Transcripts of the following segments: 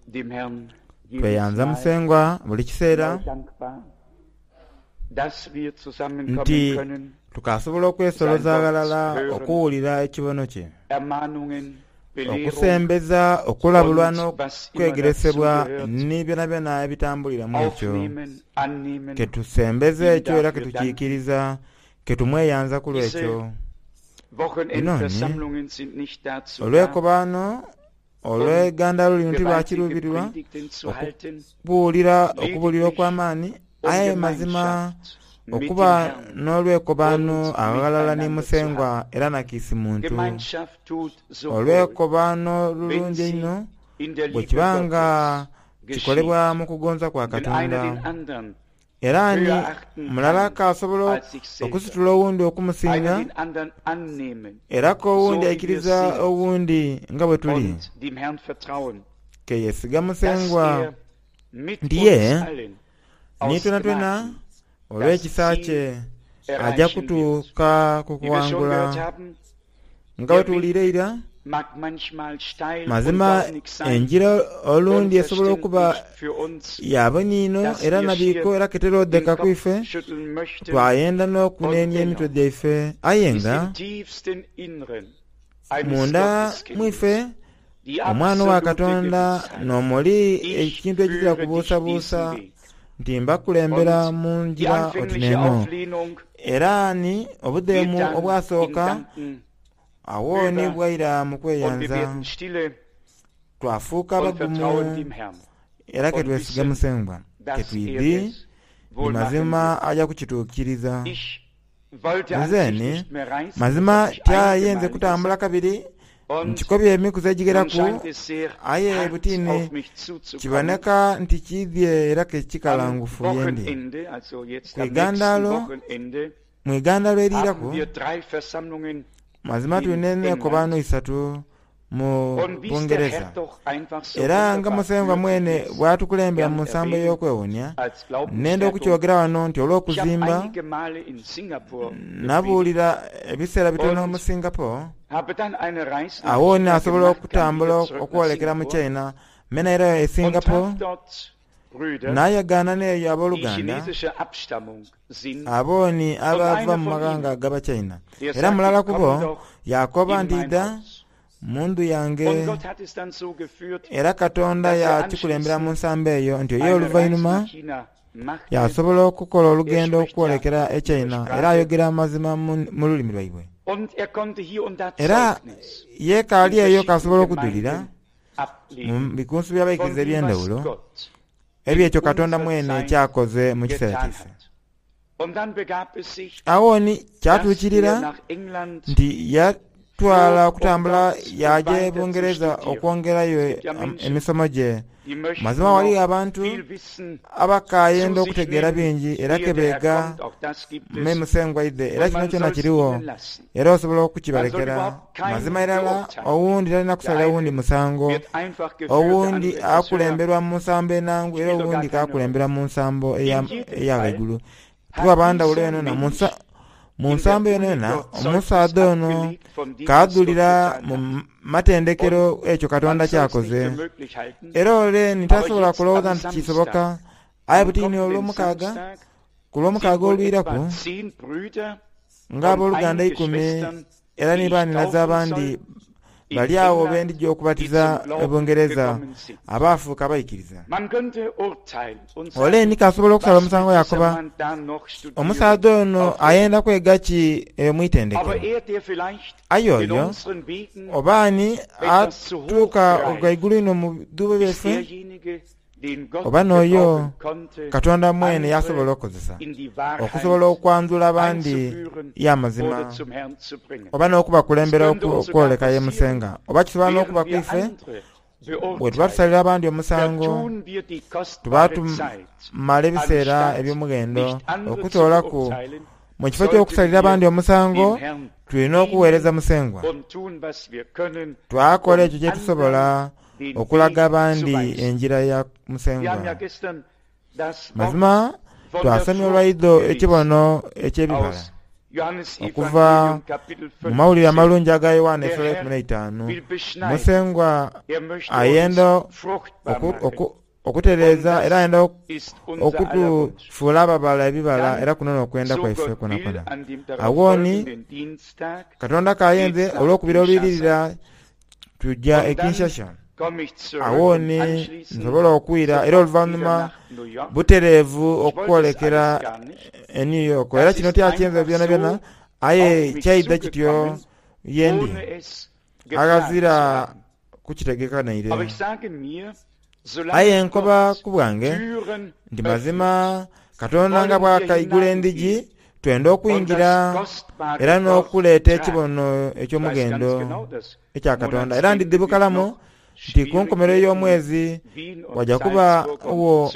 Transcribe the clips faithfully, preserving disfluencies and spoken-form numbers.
Dem Herrn jedes Tweyanza Mal Musengwa buli kiseera neu dankbar, dass wir zusammenkommen nti können, tukasobola okwesoloza aghalala okuwulira ekibono kye, Ermahnungen, Belehrung okusembeza, okulabulwa und was immer n'okwegeresebwa dazugehört, ni byonabyona ebitambuliramu ekyo. aufnehmen, annehmen, Ketusembeza ihm ekyo era dafür danken. ketukiikiriza, ketumweyanza ku Diese lw'ekyo. Wochenendversammlungen sind nicht dazu da, Olwekobaano olw'eggandalo lino gewaltige tilwakiruubirirwa Predigten zu halten, okubuulira okubuulira lediglich okw'amaani, um aye mazima Gemeinschaft mit dem okuba Herrn n'olwekobaano und aghalala ni miteinander zu Musengwa haben. era nakiisi muntu. Gemeinschaft tut so wohl, Olwekobaano wenn lulungi sie einho in der bwe Liebe kiba nga Gottes kikolebwa geschieht. mu kugonza kwa Wenn einer Katonda. den anderen Era ni höher achten mulala kann k'asobola als sich selber, okusitula owundi einer okumusinga, den anderen annehmen, era k'owundi so wie wir aikiriza sind, owundi nga bwe tuli. und dem Herrn vertrauen, Ke yeesiga dass Musengwa er mit nti ye uns allen ni aus twenatwena Gnaden das olw'ekisa Ziel kye ajja erreichen wird. kutuuka ku Wie wir schon kuwangula. gehört haben, Nga bwe der Weg tuwulira eira, mag manchmal steil und mazima dornig sein, enjira olundi esobola okuba unverständlich für uns, yaboniino dass era wir nabiiko schier era den keterodeka Kopf kwife, schütteln möchten twayenda und n'okunenia emitwe dennoch gyaife, aye ist nga im tiefsten Inneren eines munda Gotteskindes mwife die omwana wa absolute Katonda Gewissheit, n'omuli ich ekintu ekizira führe dich kubuusabuusa diesen Weg. nti mbakulembera Und mu die njira oti anfängliche n'eno. Auflehnung Era ni geht obudheemu dann in obwasooka Danken awo ni über bwaira mu und wir kweyanza, werden stille twafuuka und vertrauen bagumu dem Herrn era und ketwesiga wissen, Musengwa, dass er ketwidhi es ni wohl machen mazima wird. aja kukituukiriza. Ich wollte an Nze sich ni nicht mehr reisen, das mazima hatte ich einige tyayenze Male kutambula gesagt. kabiri Und nkikobye emikuzi nun egigeraku, scheint es sehr aye hart butini auf mich zuzukommen. kiboneka nti kiidhye era Am kekikalangufu yendi. Wochenende, also jetzt Ku am nächsten igandalo, Wochenende, mu igandalo haben eriiraku wir drei Versammlungen mazima in tulina England. enkobaano isatu mu Und wie es der Bungereza. Herr doch einfach so Era nga wunderbar Musengwa führt, ich mwene will es bw'atukulembera gern mu nsambo erwähnen ey'okwewuunya, als nenda Glaubensstärkung. okukyogera wano nti Ich habe olw'okuzimba einige Male in Singapur gepredigt nabuulira ebiseera bitono mu und Singapore, habe dann eine Reise nach awo ni China asobola gemacht, kam okutambula wieder zurück nach okwolekera mu Singapur China, mena era e und Singapore traf dort Brüder, n'ayagaana n'eyo die abooluganda chinesischer Abstammung sind. abooni Und abava einer mu von maghanga ihnen, ag'Abachina. der Era mulala sagte, ku komm bo doch yakoba in nti mein idda Haus. mu ndhu yange. Und Gott hat es dann so geführt, Era Katonda dass er yakikulembera mu anschließend nsambo eyo nti oye eine Reise oluvannyuma nach China machte. yasobola okukola Er olugendo spricht ja okwolekera e ihre China era Sprache ayogera amazima mu mu lulimi lwaibwe. und er konnte hier und da Era Zeugnis ye kaali in eyo verschiedenen kasobola okujulira Gemeinden mu ablegen bikunsu von by'abaikiriza dem, was eby'endawulo Gott ebyo in ekyo Katonda unserer mwene Zeit kyakoze mu kiseera getan kyaife. hat. Und dann begab es sich, Awo ni dass er kyatuukirira nach England nti yatwala flog, um okutambula dort yaja e weiter zu Bungereza studieren. okwongerayo Es gibt ja em- Menschen, emisomo gye. die möchten Mazima waliyo noch abantu viel Wissen abakaayenda zu sich okutegeera nehmen, bingi era ehe der Herr kebeega kommt. Auch das gibt me es. Musengwa idde era Und kino man kyona soll es kiriwo ihnen lassen. era osobola Man soll okukibalekera. überhaupt keinen Mazima irala beurteilen. owundi talina Der kusalira wundi eine musango, wird einfach geführt, der owundi andere etwas höher. akulemberwa mu nsambo enangu era Spielt doch gar owundi keine Rolle. kakulembera mu nsambo In eya jedem eya Fall ghaigulu. hat Tuba bandawulo dieser eno na mu Mensch nsa mu in der nsambo yona Uni yona dort Zeugnis omusaadha ono abgelegt von dem, was Gott kaadhulira getan mu hat. matendekero Und ekyo Katonda man soll es nicht kyakoze. für möglich halten, Era ole ni aber tasobola jetzt kulowooza am nti kisoboka, Samstag, aye am butini kommenden olw'omukaaga Samstag, ku lw'omukaaga sind wohl olwiraku etwa zehn Brüder und ng'abooluganda einige ikumi Schwestern, era die ni ich baaninaza taufen abandi soll, in bali awo England, bendijja die okubatiza zum e Glauben Bungereza gekommen sind. abaafuuka abayikiriza. Man könnte urteilen und Ole sagen, ni kasobola okusala was omusango will dieser yakoba Mann da noch studieren omusaadha ono auf der ayenda Welt? kwega ki eyo Aber mwitendekero. er, der vielleicht Aye in oyo unseren Wegen oba ani etwas zu hoch atuuka greift, ghaigulu ino mu bidhuubo ist byaife derjenige, den Gott oba n'oyo gebrauchen konnte, Katonda mwene andere yasobola okukozesa in die okusobola Wahrheit okwanjula abandi einzuführen y'amazima oder zum Herrn zu bringen. oba Es n'okubakulembera könnte oku- uns sogar okwoleka ye passieren, Musenga oba kisobola während n'okuba wir kwife andere bwe tuba beurteilen, tusalira abandi omusango vertun wir die tuba kostbare Zeit. tumala ebiseera Anstatt eby'omughendo nicht andere zu okutoolaku beurteilen, mu kifo sollten ky'okusalira wir abandi omusango dem Herrn tulina okuweereza dienen Musengwa und tun, was wir können, twakola um ekyo kye tusobola anderen den okulaga Weg zu abandi weisen. enjira ya Wir haben ja Musengwa. gestern das Wort Mazima von der twasomye Frucht olwaidho gelesen ekibono eky'ebibala aus Okuva mu mawulire amalungi aga Yowaana esula eikumi n'eitaanu, Musengwa ayenda okutereeza era ayenda okutufuula ababala ebibala, era kuno n'okwenda kwaife kwonakwo. Agho ni Katonda k'ayenze olw'okubira olwiririra tuja e Kinshasa. Agho ni nsobola okwira era oluvannyuma butereevu okwolekera e New York. Era kino tyakyenze byonabyona, aye kyaidha kityo yendi aghazira kukitegeka naire. Aye nkoba ku bwange nti mazima Katonda nga bw'akaigula endhigi twenda okwingira era n'okuleeta ekibono eky'omughendo ekya Katonda. Era ndidhi bukalamu nti ku nkomerero y'omwezi waja kubagho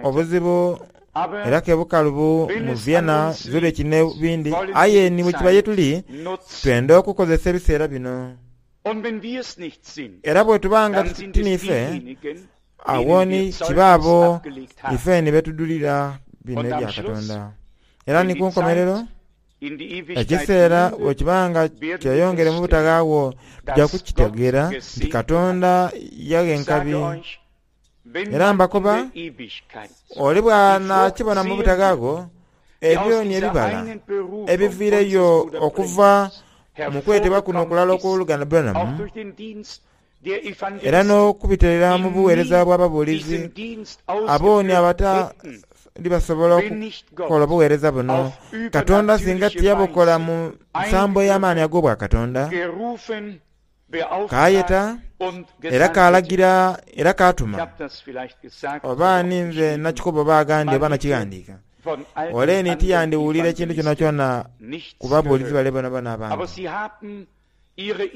obuzibu era ke bukalubu mu Vienna, Zurich n'ebindi. Aye ni bwe kiba ye tuli, twenda okukozesa ebiseera bino. Era bwe tuba nga ti niife, agho ni kiba abo ife ni betudulira bino ebya Katonda. Era ni ku nkomerero, ekiseera bwe kiba nga kyeyongere mu butaghaagho, tuja kukitegeera nti Katonda yagha enkabi. Era mbakoba, ole bw'anaakibona mu butaghaagho, ebyo ni ebibala ebiviireyo okuva mu kwetebwa kuno okulala okw'oluganda Branham, era n'okubiterera mu buweereza bw'ababuulizi abo ni abatali basobola okukola obuweereza buno. Katonda singa tiyabukola mu nsambo ey'amaani ag'obwakatonda, kaayeta era kaalagira era kaatuma. Oba ninze nakikoba oba aghandi oba nakighandiika, ole ni tiyandiwulira ekintu kyonakyona ku babuulizi bale bonabona abandi.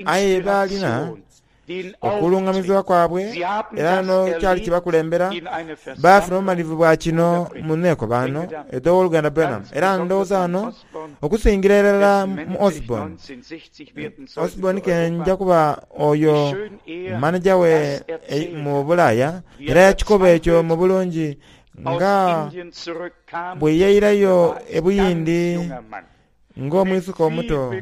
Aye baalina okulungamizibwa kwabwe era n'ekyali kibakulembera, baafuna obumalivu bwa kino mu neekobaano edh'owoluganda Branham. Era ndowooza ghano okusingira irala mu Osborne. Osborne kenja kuba oyo maneja we mu Bulaaya, era yakikoba ekyo mu bulungi nga bwe yairayo e Buyindi ng'omwisuka omuto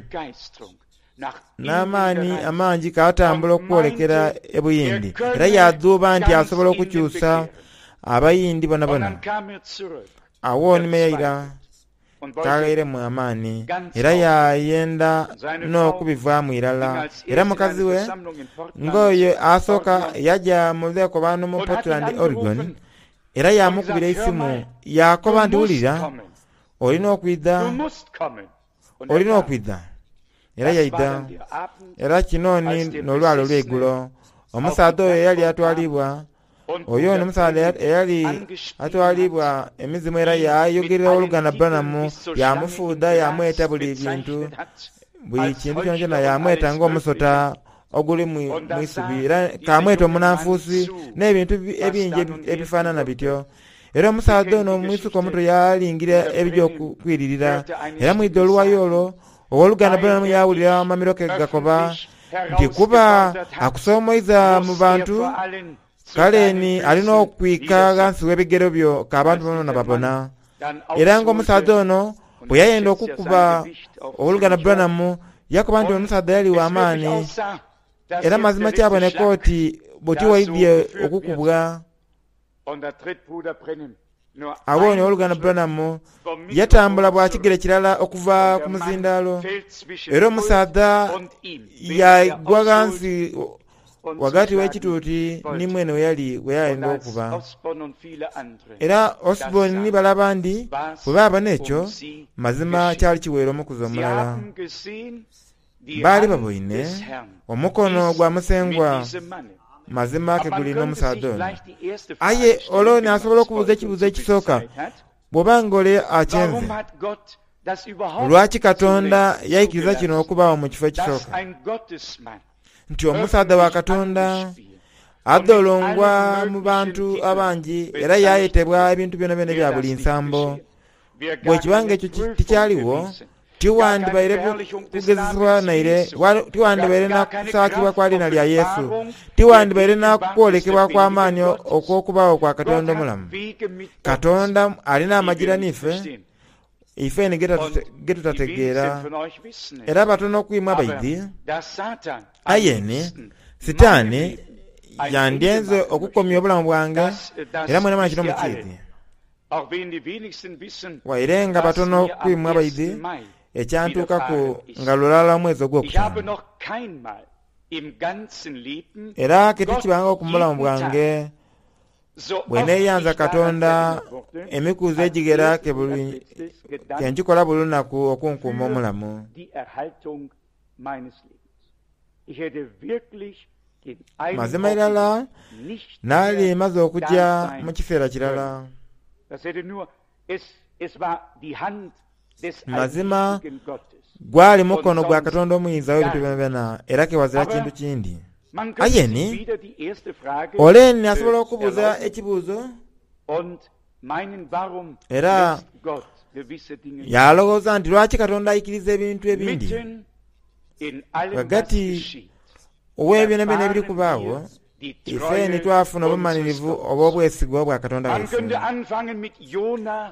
n'amaani amangi kaatambula okwolekera e Buyindi. Era yadhuuba nti asobola okukyusa Abayindi bonabona. Agho ni yaira kaghairemu amaani era yayenda n'okubivaamu irala. Era mukazi we ng'oyo asooka yaja mu lwekobaano mu Portland, Oregon, era yamukubira eisimu yakoba nti wulira, olina okwidha, olina okwidha. Era yaidha. Era kino ni n'olwalo olw'eigulo. Omusaadha oyo eyali atwalibwa, oyo ni omusaadha eyali atwalibwa emizimu era yayogerera oluganda Branham, yamufuudha yamweta buli bintu, buli kintu kyonakyona yamweta ng'omusota oguli mu isubi, era kamweta omunanfuusi n'ebintu ebingi ebifaanana bityo. Era omusaadha ono omwisuka omuto yalingira ebija okwiririra. Era mwidha oluwayo olwo, ow'oluganda Branham yawulira amamiro ke gakoba nti kuba akusomoiza mu bantu, kale ni alina okwika ghansi w'ebigere byo k'abantu bonabona babona. Era ng'omusaadha ono bwe yayenda okukuba ow'oluganda Branham, yakoba nti omusaadha yali w'amaani. Era mazima kyaboneka oti buti waidhye okukubwa. Agho ni ow'oluganda Branham yatambula bwa kigere kirala okuva ku muzindaalo, era omusaadha yagwa ghansi ghagati w'ekituuti ni mwene we yali we yayenda okuba. Era Osborne ni bale abandi bwe baabona ekyo, mazima kyali kiweire omukuzi omulala. Baali baboine omukono gwa Musengwa mazima ke guli n'omusaadha ono. Aye olwo n'asobola okubuuza ekibuuzo ekisooka, bw'oba nga ole akyenze, lwaki Katonda yaikiriza kino okubawo mu kifo ekisooka? Nti omusaadha wa Katonda adholongwa mu bantu abangi era yayetebwa ebintu byonabyona ebya buli nsambo. Bwe kiba nga ekyo tikyaliwo, tiwandibaire kugezesebwa naire, tiwandibaire na kusaakibwa kwa liina lya Yesu, tiwandibaire na kwolekebwa kw'amaani okw'okubaawo kwa Katonda omulamu. Katonda alina amagira n'ife Ife ge tutategeera era batono kwimwe abaidhi. Aye Sitaani yandyenze okukomya obulamu bwange era mwena mwena kino mukiidhi. Waire nga batono kwimwe abaidhi ekyantuukaku nga lulala omwezi ogwokutaano. Era ketikibanga ku mulamu bwange bwe neeyanza Katonda emikuzi egighera kenkikola buli lunaku okunkuuma omulamu. Mazima irala naali maze okujja mu kiseera kirala. Mazima gwali mukono gwa Katonda omuyinza w'ebintu byonabyona era kewazira kintu kindi. Aye ni ole ni asobola okubuuza ekibuuzo era yalowooza nti lwaki Katonda aikiriza ebintu ebindi ghagati ow'ebyonabyona ebiri kubaawo. Ife ni twafuna obumalirivu obw'obwesigwa bwa Katonda waife.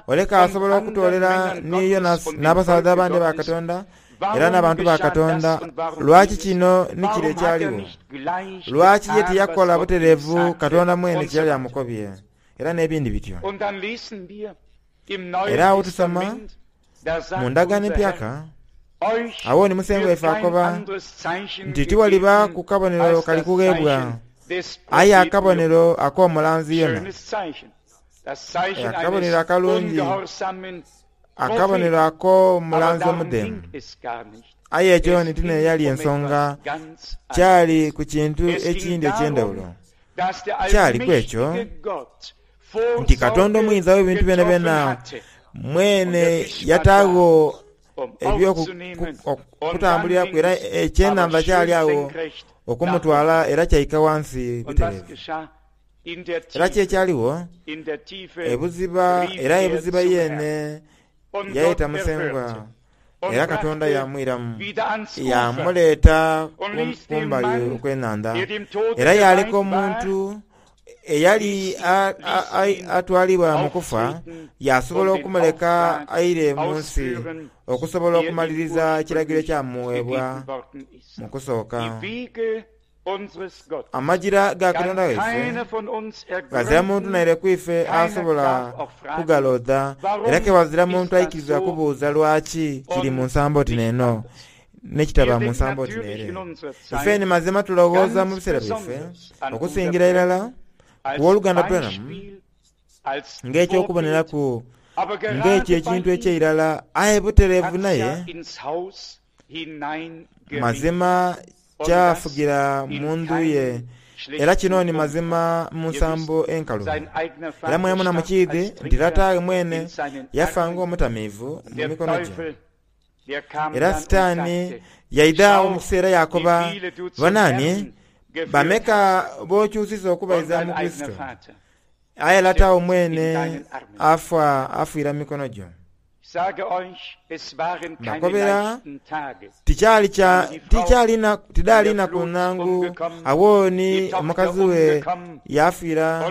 Oleka asobola okutoolera ni Yonasi n'abasaadha abandi ba Katonda era n'abantu ba Katonda. Lwaki kino ni kire ekyaliwo? Lwaki ye tiyakola butereevu Katonda mwene kye yali amukobye? Era n'ebindi bityo. Era awo tusoma mu ndagaano empyaka, awo ni Musengwa waife akoba nti tiwaliba ku kabonero kali kugheebwa, aye akabonero ak'omulanzi Yona. Akabonero akalungi, akabonero ak'omulanzi omudheemu. Aye ekyo ni tine yali ensonga, kyali ku kintu ekindi eky'endawulo. Kyaliku ekyo nti Katonda omuyinza w'ebintu byonabyona mwene yataagho eby'okutambuliraku era ekyenhandha kyali awo okumutwala era kyaika wansi butereevu. Era ki ekyaliwo ebuziba era ebuziba yeene yayeta Musengwa era Katonda yamwiramu yamuleeta kumbali okw'enhandha era yaleka omuntu eyali atwalibwa mu kufa yasobola okumuleka aire mu nsi okusobola okumaliriza ekiragiro ekyamuweebwa mu kusooka. Amajira ga Katonda waife ghazira muntu naire kwife asobola kugalodha era kewazira muntu aikiriza kubuuza lwaki kiri mu nsambo oti n'eno n'ekitaba mu nsambo oti n'ere. Ife ni mazima tulowooza mu biseera byaife okusingira irala ku wooluganda Branham ng'ekyokuboneraku ng'ekyo ekintu eky'eirala aye butereevu naye mazima kyafugira mu ndhu ye era kino ni mazima mu nsambo enkalu. Era mwemuna mukiidhi nti lata mwene yafa ng'omutamiivu mu mikono gye. Era Sitaani yaidha awo mu kiseera yakoba, bonaani bameka b'okyusiza okubaiza mu Kurisito, aye lata wo mwene afa afiira mu mikono gyo. Mbakobera tikyali kya tidali naku nangu awo ni omukazi we yafiira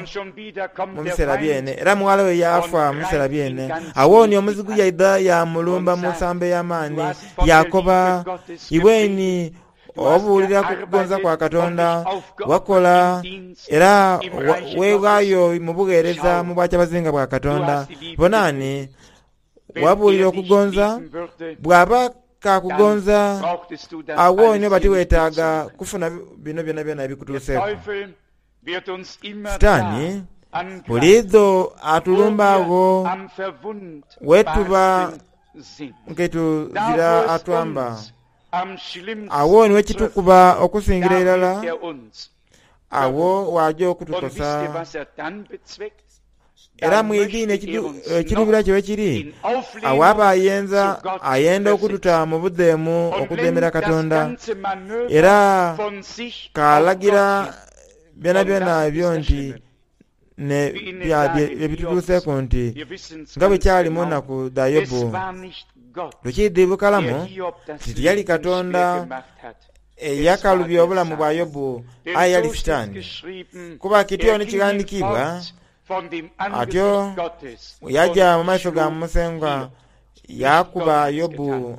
mu biseera byene era muwala we yafa mu biseera byene. Awo ni omuzigu yaidha yamulumba mu nsambo ey'amaani yakoba, iweni obuulira ku kugonza kwa Katonda wakola era weewaayo mu bugheereza mu bwakyabazinga bwa Katonda. Bonaani wabuulira okugonza bw'aba kakugonza awo ni oba tiweetaaga kufuna bino byonabyona ebikutuuseeku. Sitaani buliidho atulumba agho wetuba nketuzira atwamba. Awo ni wekitukuba okusingira irala awo waja okutukosa. Era mwidhi ekirubira kye wekiri awo aba ayenza ayenda okututa mu budheemu okudheemera Katonda era kalagira byonabyona ebyo nti ebitutuuseeku nti nga bwe kyali mu nnaku dha Yobu. Lukiidhi bukalamu nti tiyali Katonda eyakalubya obulamu bwa Yobu aye yali Sitaani. Kuba kityo ni kighandiikibwa atyo yaja mu maiso ga Musengwa Yakuba Yobu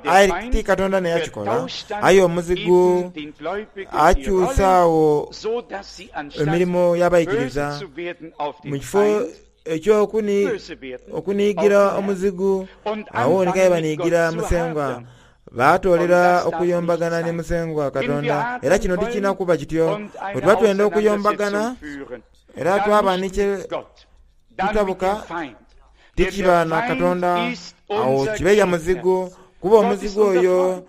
aye ti Katonda neyakikola, aye omuzigu akyusaawo emirimu y'abayigiriza mu kifo eky'okuniigira omuzigu awo nikaye baniigira Musengwa, baatoolera okuyombagana ni Musengwa Katonda. Era kino tikirina kuba kityo. Bwe tuba twenda okuyombagana era twaba ni kye tutabuka, tikiba na Katonda, awo kibe ya muzigu, kuba omuzigu oyo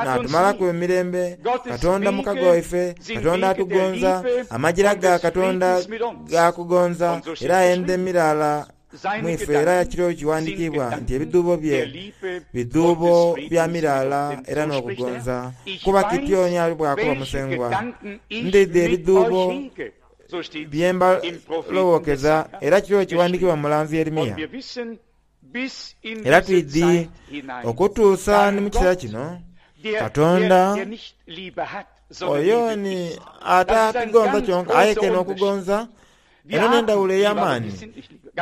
natumalaku emirembe. Katonda mukago waife, Katonda atugonza, amajira ga Katonda gakugonza, era ayenda emirala mwife. Era kiro kiwandiikibwa nti ebidhuubo bye bidhuubo bya mirala era n'okugonza. Kuba kityo ni ali bwakuba Musengwa, ndidhi ebidhuubo byemba lowookeza. Era kiro kiwandiikibwa mulanzi Yeremiya. Era twidhi okutuusa ni mu kiseera kino Katonda oyo ni atatugonza kyonka, aye ke n'okugonza. Eno n'endawulo ey'amaani.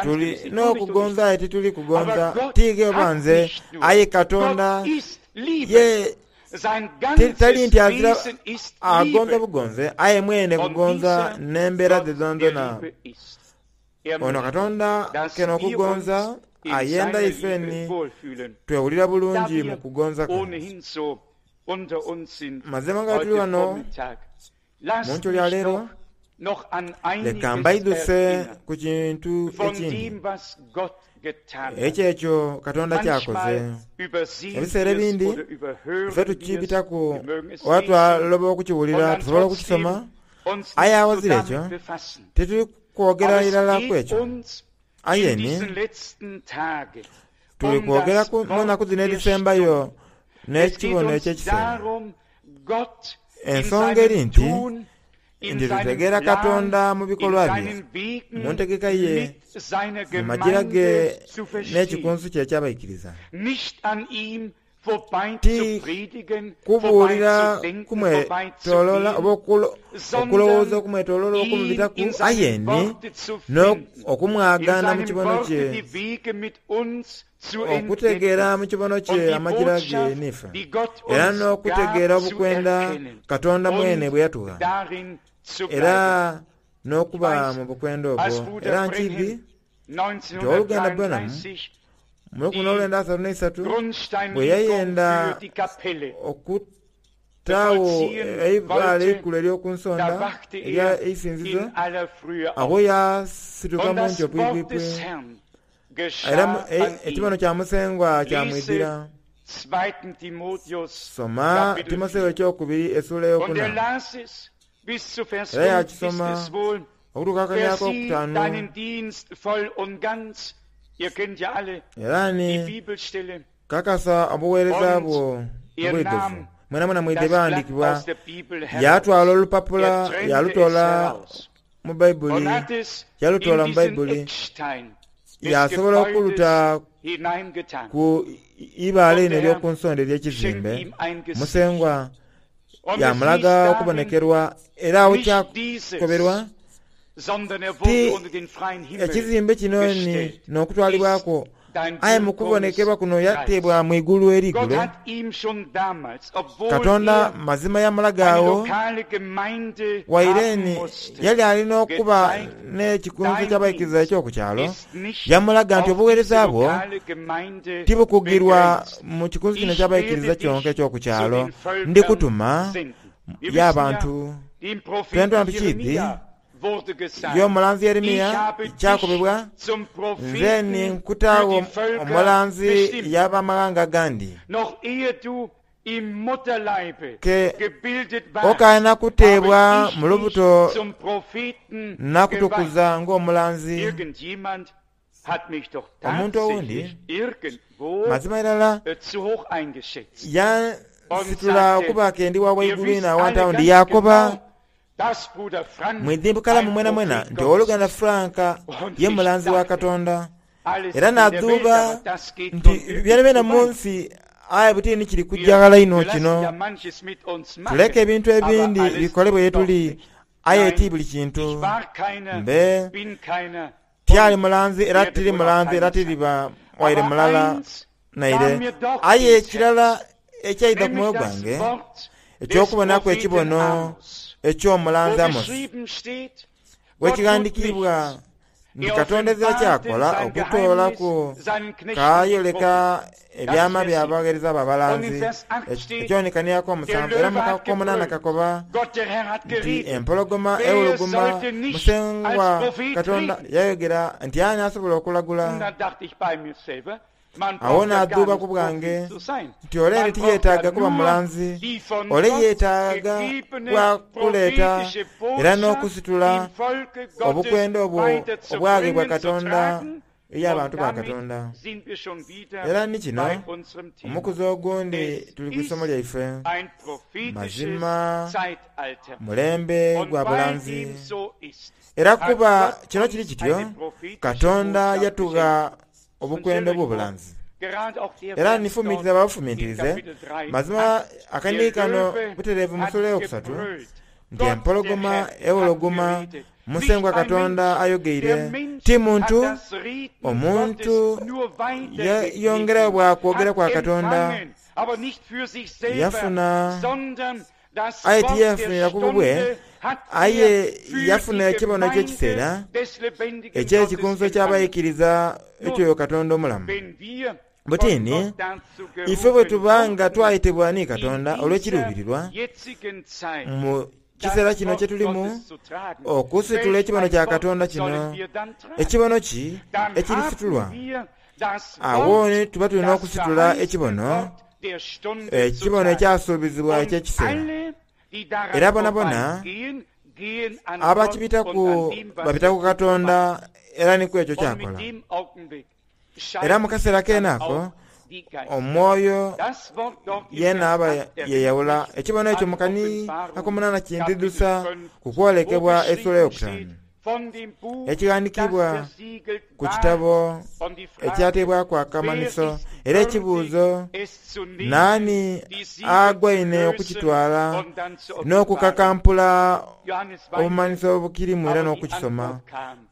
Tuli n'okugonza aye tituli kugonza, tiige oba nze, aye Katonda ye tali nti azira agonza bugonze, aye mwene kugonza n'embeera dhe dhonadhona. Ono Katonda ke n'okugonza ayenda ifeni twewulira bulungi mu kugonza kwe. Mazima nga tuli wano mu nkyo lya leero, leka mbaidhuse ku kintu ekindi ekyo ekyo Katonda kyakoze. Ebiseera ebindi ife tukibitaku oba twaloba okukiwulira, tusobola okukisoma, aye awazira ekyo tituli kwogera irala ku ekyo. Aye ni tuli kwogera mu nnaku dhino edhisembayo n'ekibono eky'ekiseera. Ensonga eri nti nti tutegeera Katonda mu bikolwa bye, mu ntegeka ye, mu majira ge n'ekikunsu kye eky'abaikiriza. Ti kubuulira kumwetooloola oba okulowooza okumwetooloola okumubitaku, aye ni okumwagaana mu kibono kye, okutegeera mu kibono kye amajira ge n'ife, era n'okutegeera obukwenda Katonda mwene bwe yatugha, era n'okuba mu bukwenda obwo. Era nkiidhi nti ow'oluganda Branham mu lukumi n'olwenda asatu n'eisatu bwe yayenda okutaawo eibaale eikulu ery'oku nsonda erya eisinzizo, agho yasituka mu nkyo pwipwipwi, era ekibono kya Musengwa kyamwidhira. Soma Timotheo ekyokubiri essuula eyokuna. Era yakisoma okutuuka akania akokutaanu. Era ni kakasa obuweereza bwo mu bwidhuvu. Mwenamwena mwidhi ebyawandiikibwa. Yatwala olupapula yalutoola mu Baibuli, yalutoola mu Baibuli, yasobola okuluta ku ibaale lino ery'oku nsonda ery'ekizimbe. Musengwa yamulaga okubonekerwa, era awo kyakoberwa ti ekizimbe kino ni n'okutwalibwaku, aye mu kubonekerwa kuno yateebwa mu igulu erigulo. Katonda mazima yamulaga awo waire ni yali alina okuba n'ekikunsu ky'abaikiriza eky'oku kyalo, yamulaga nti obuweereza bwo tibukugirwa mu kikunsu kino eky'abaikiriza kyonka eky'oku kyalo, ndikutuma y'abantu. Twena tukiidhi y'omulanzi Yeremiya kyakobebwa, nze ni nkutaagho omulanzi y'abamaghanga agandi. Ke okaana kuteebwa mu lubuto nakutukuza ng'omulanzi. Omuntu owundi mazima irala yansitula okuba ke ndi wa waigulu inho awantu awo ndi yakoba mwidhi bukalamu mwenamwena nti ow'oluganda Frank ye mulanzi wa Katonda. Era nadhuuba nti byonabyona mu nsi aye buti ni kiri kujja ghala inho kino. Tuleke ebintu ebindi bikolebwe ye tuli, aye ti buli kintu. Mbe tyali mulanzi era tiri mulanzi era tiriba waire mulala naire. Aye ekirala ekyaidha ku mwoyo gwange eky'okubonaku ekibono eky'omulanzi Amosi, wekighandiikibwa nti Katonda ezira kyakola okutoolaku kayoleka ebyama by'abaweereza abo abalanzi, ekyonekaniaku omusanvu era mukakomunana kakoba nti empologoma ewuluguma Musengwa Katonda yayogera nti ani asobola okulagula. Awo naadhuuba ku bwange nti ole ni tiyeetaaga kuba mulanzi, ole yeetaaga bwa kuleeta era n'okusitula obukwenda obwo obwaghebwa Katonda eri abantu ba Katonda. Era ni kino omukuzi ogundi tuli ku isomo lyaife, mazima mulembe gwa bulanzi. Era kuba kino kiri kityo, Katonda yatugha obukwenda obw'obulanzi. Era nifumitiriza babufumitirize, mazima akanihi kano butereevu mu sula eyokusatu nti empologoma ewologoma Musengwa Katonda ayogeire, ti muntu, omuntu yeyongerayo bwa kwogera kwa Katonda, yafuna aye tiyefunira ku bubwe, aye yafuna ekibono eky'ekiseera eky'ekikunso ky'abaikiriza ekyoyo Katonda omulamu. Butini, ife bwe tuba nga twayetebwa ni Katonda olw'ekiruubirirwa mu kiseera kino kye tulimu okusitula ekibono kya Katonda kino, ekibono ki ekirisitulwa? Awo ni tuba tulina okusitula ekibono, ekibono ekyasuubizibwa eky'ekiseera. Era bonabona abakibitaku babita ku Katonda era ni ku ekyo kyakola. Era mu kaseera keene ako omwoyo yeena aba yeyawula. Ekibono ekyo mu kani akomunana kindidhusa ku kwolekebwa esula eyokutaanu ekighandiikibwa ku kitabo ekyateebwaku akamanhiso. Era ekibuuzo, naani agwaine okukitwala n'okukakampula obumanhiso obukirimu era n'okukisoma?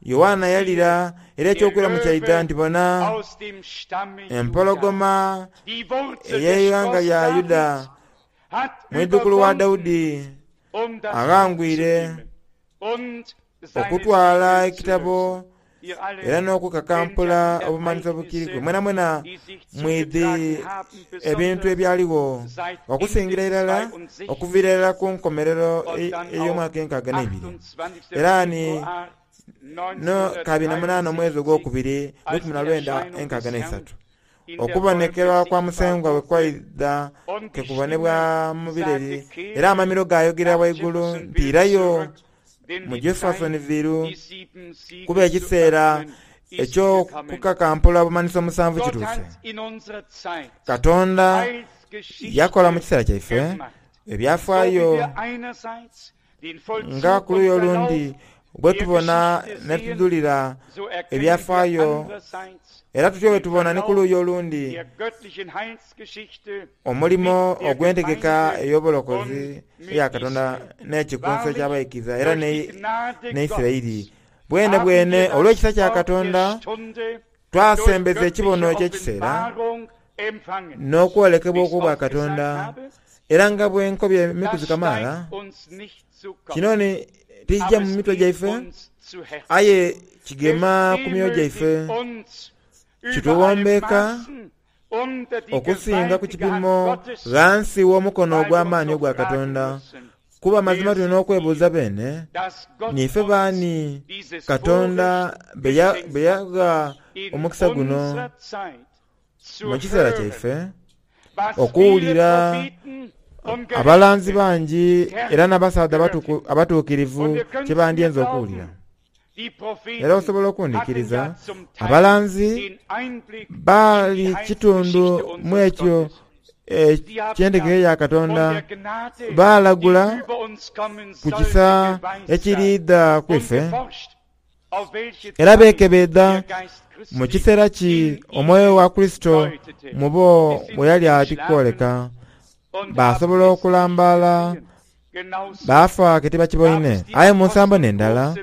Yoanna yalira era ekyokwiramu kyaidha nti bona empologoma ey'eighanga lya Yuda, mwidhukulu wa Daudi, aghangwire okutwala ekitabo era n'okukakampula obumanhiso obukiriku. Mwenamwena mwidhi ebintu ebyaligho okusingira irala okuviira irala ku nkomerero ey'omwaka enkaaga n'ebiri. Era ni no kabiri na munaana omwezi ogwokubiri lukumi na lwenda enkaaga n'eisatu, okubonekerwa kwa Musengwa bwe kwaidha ke kubonebwa mu bireri, era amamiro gaayogera waigulu nti irayo mu Jeffersonville kuba ekiseera eky'okukakampula obumanhiso musanvu kituuse. Katonda yakola mu kiseera kyaife ebyafaayo nga ku luuyi olundi bwe tubona ne tudhulira ebyafaayo, era tutyo bwe tubona ni ku luuyi olundi omulimo ogw'entegeka ey'obulokozi eya Katonda n'ekikunso eky'abaikiriza era n'Isiraeli. Bwene bwene olw'ekisa kya Katonda twasembeza ekibono eky'ekiseera n'okwolekebwa okw'obwa Katonda. Era nga bwe nkobye emikuzi kamaala, kino ni tikijja mu mitwe gyaife, aye kigema ku myoyo gyaife, kituwombeeka okusinga ku kipimo ghansi w'omukono ogw'amaani ogwa Katonda. Kuba mazima tulina okwebuuza beene, niife baani Katonda be yagha omukisa guno mu kiseera kyaife okuwulira abalanzi bangi era n'abasaadha abatuukirivu kye bandyenze okuwulira. Era osobola okundhikiriza, abalanzi baali kitundu mu ekyo eky'entegeka ya Katonda, baalagula ku kisa ekiriidha ku ife, era beekebeedha mu kiseera ki omwoyo wa Kurisito mu bo bwe yali ati kwoleka. Baasobola okulambaala baafa ke tibakiboine. Aye mu nsambo n'endala,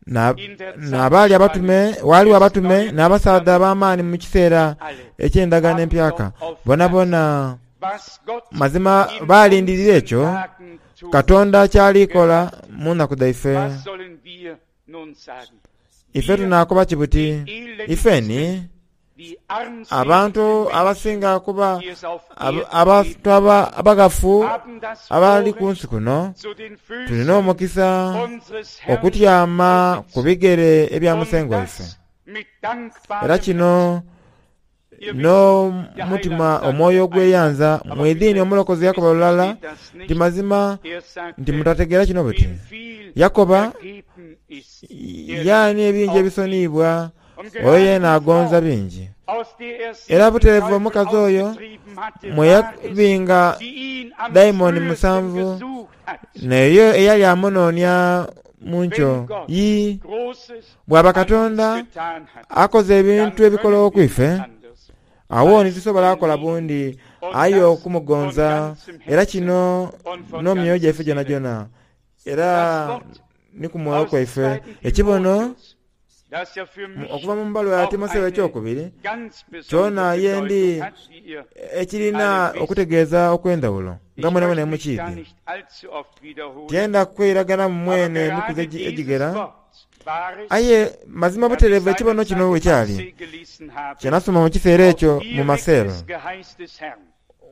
N'abaali abatume, waliwo abatume n'abasaadha ab'amaani mu kiseera eky'endagaano empyaka. Bonabona mazima balindirira ekyo Katonda kyalikola mu nnaku dhaife. Ife tunaakoba kibuti, ifeni abantu abasinga kuba abantu abaghafu abali ku nsi kuno tulina omukisa okutyama ku bigere ebya Musengwa waife. Era kino n'omutima omwoyo ogweyanza mwidhini omulokozi yakoba lulala nti mazima nti mutategeera kino buti. Yakoba yaani ebingi ebisoniibwa oyo yena agonza bingi. Era butereevu omukazi oyo mwe yabinga dayimoni musanvu naye eyali amunoonia mu nkyo. Yii, bw'aba Katonda akoze ebintu ebikolowo ku ife, awo ntitusobola kukola bundi aye okumugonza. Era kino n'omyoyo gyaife gyonagyona era ni ku mwoyo kwaife. Ekibono okuva mu mbaluwa ya Timotheo ekyokubiri kyona yendi ekirina okutegeeza okw'endhawulo nga mwenamwena mukiidhi. Tyenda kweiragana mu mwene emikuzi egigera, aye mazima butereevu ekibono kino bwe kyali kye nasoma mu kiseera ekyo mu maseelo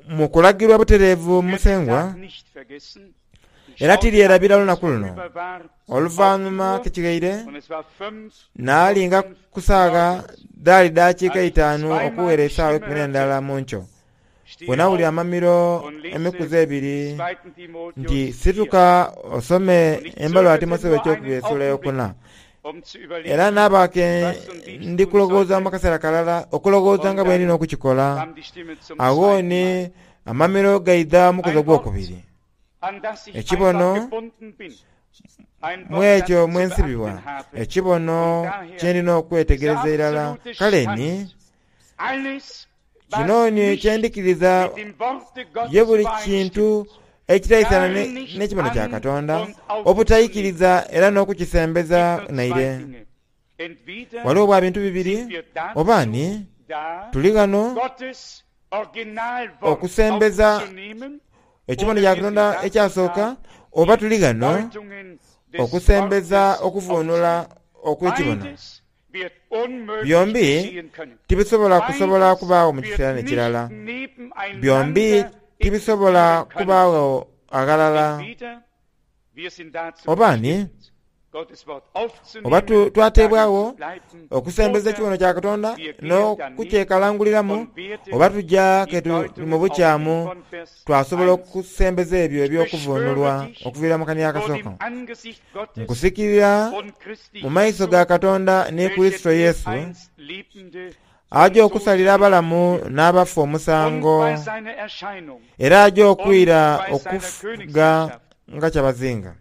mu kulagirwa butereevu Musengwa. Era tiryerabira lunaku luno. Oluvannyuma kikighaire naalinga ku saagha dhaali dakiika itaanu okuwera esaawa eikumi n'endala mu nkyo, bwe nawulira amamiro emikuzi ebiri nti situka osome embaluwa ya Timotheo ekyokubiri esula eyokuna. Era naaba ke ndi kulowooza mu kaseera kalala, okulowooza nga bwe ndina okukikola. Agho ni amamiro gaidha omukuzi ogwokubiri. Ekibono mu ekyo mwe nsibibwa, ekibono kye ndina okwetegereza irala. Kale ni kino ni kye ndikiriza ye buli kintu ekitaisana n'ekibono kya Katonda, obutaikiriza era n'okukisembeza naire. Waliwo bwa bintu bibiri, oba ni tuli ghano okusembeza ekibono kya Katonda ekyasooka, oba tuli ghano okusembeza okuvuunula okw'ekibono. Byombi tibisobola kusobola kubaagho mu kiseera n'ekirala. Byombi tibisobola kubaagho aghalala. Oba ni oba twateebwagho okusembeza ekibono kya Katonda n'okukyekalanguliramu, oba tuja ke mu bukyamu twasobola okusembeza ebyo eby'okuvuunulwa okuviira mu kania akasooka. Nkusikirira mu maiso ga Katonda ni Kurisito Yesu, aja okusalira abalamu n'abafu omusango, era aja okwira okufuga nga kyabazinga.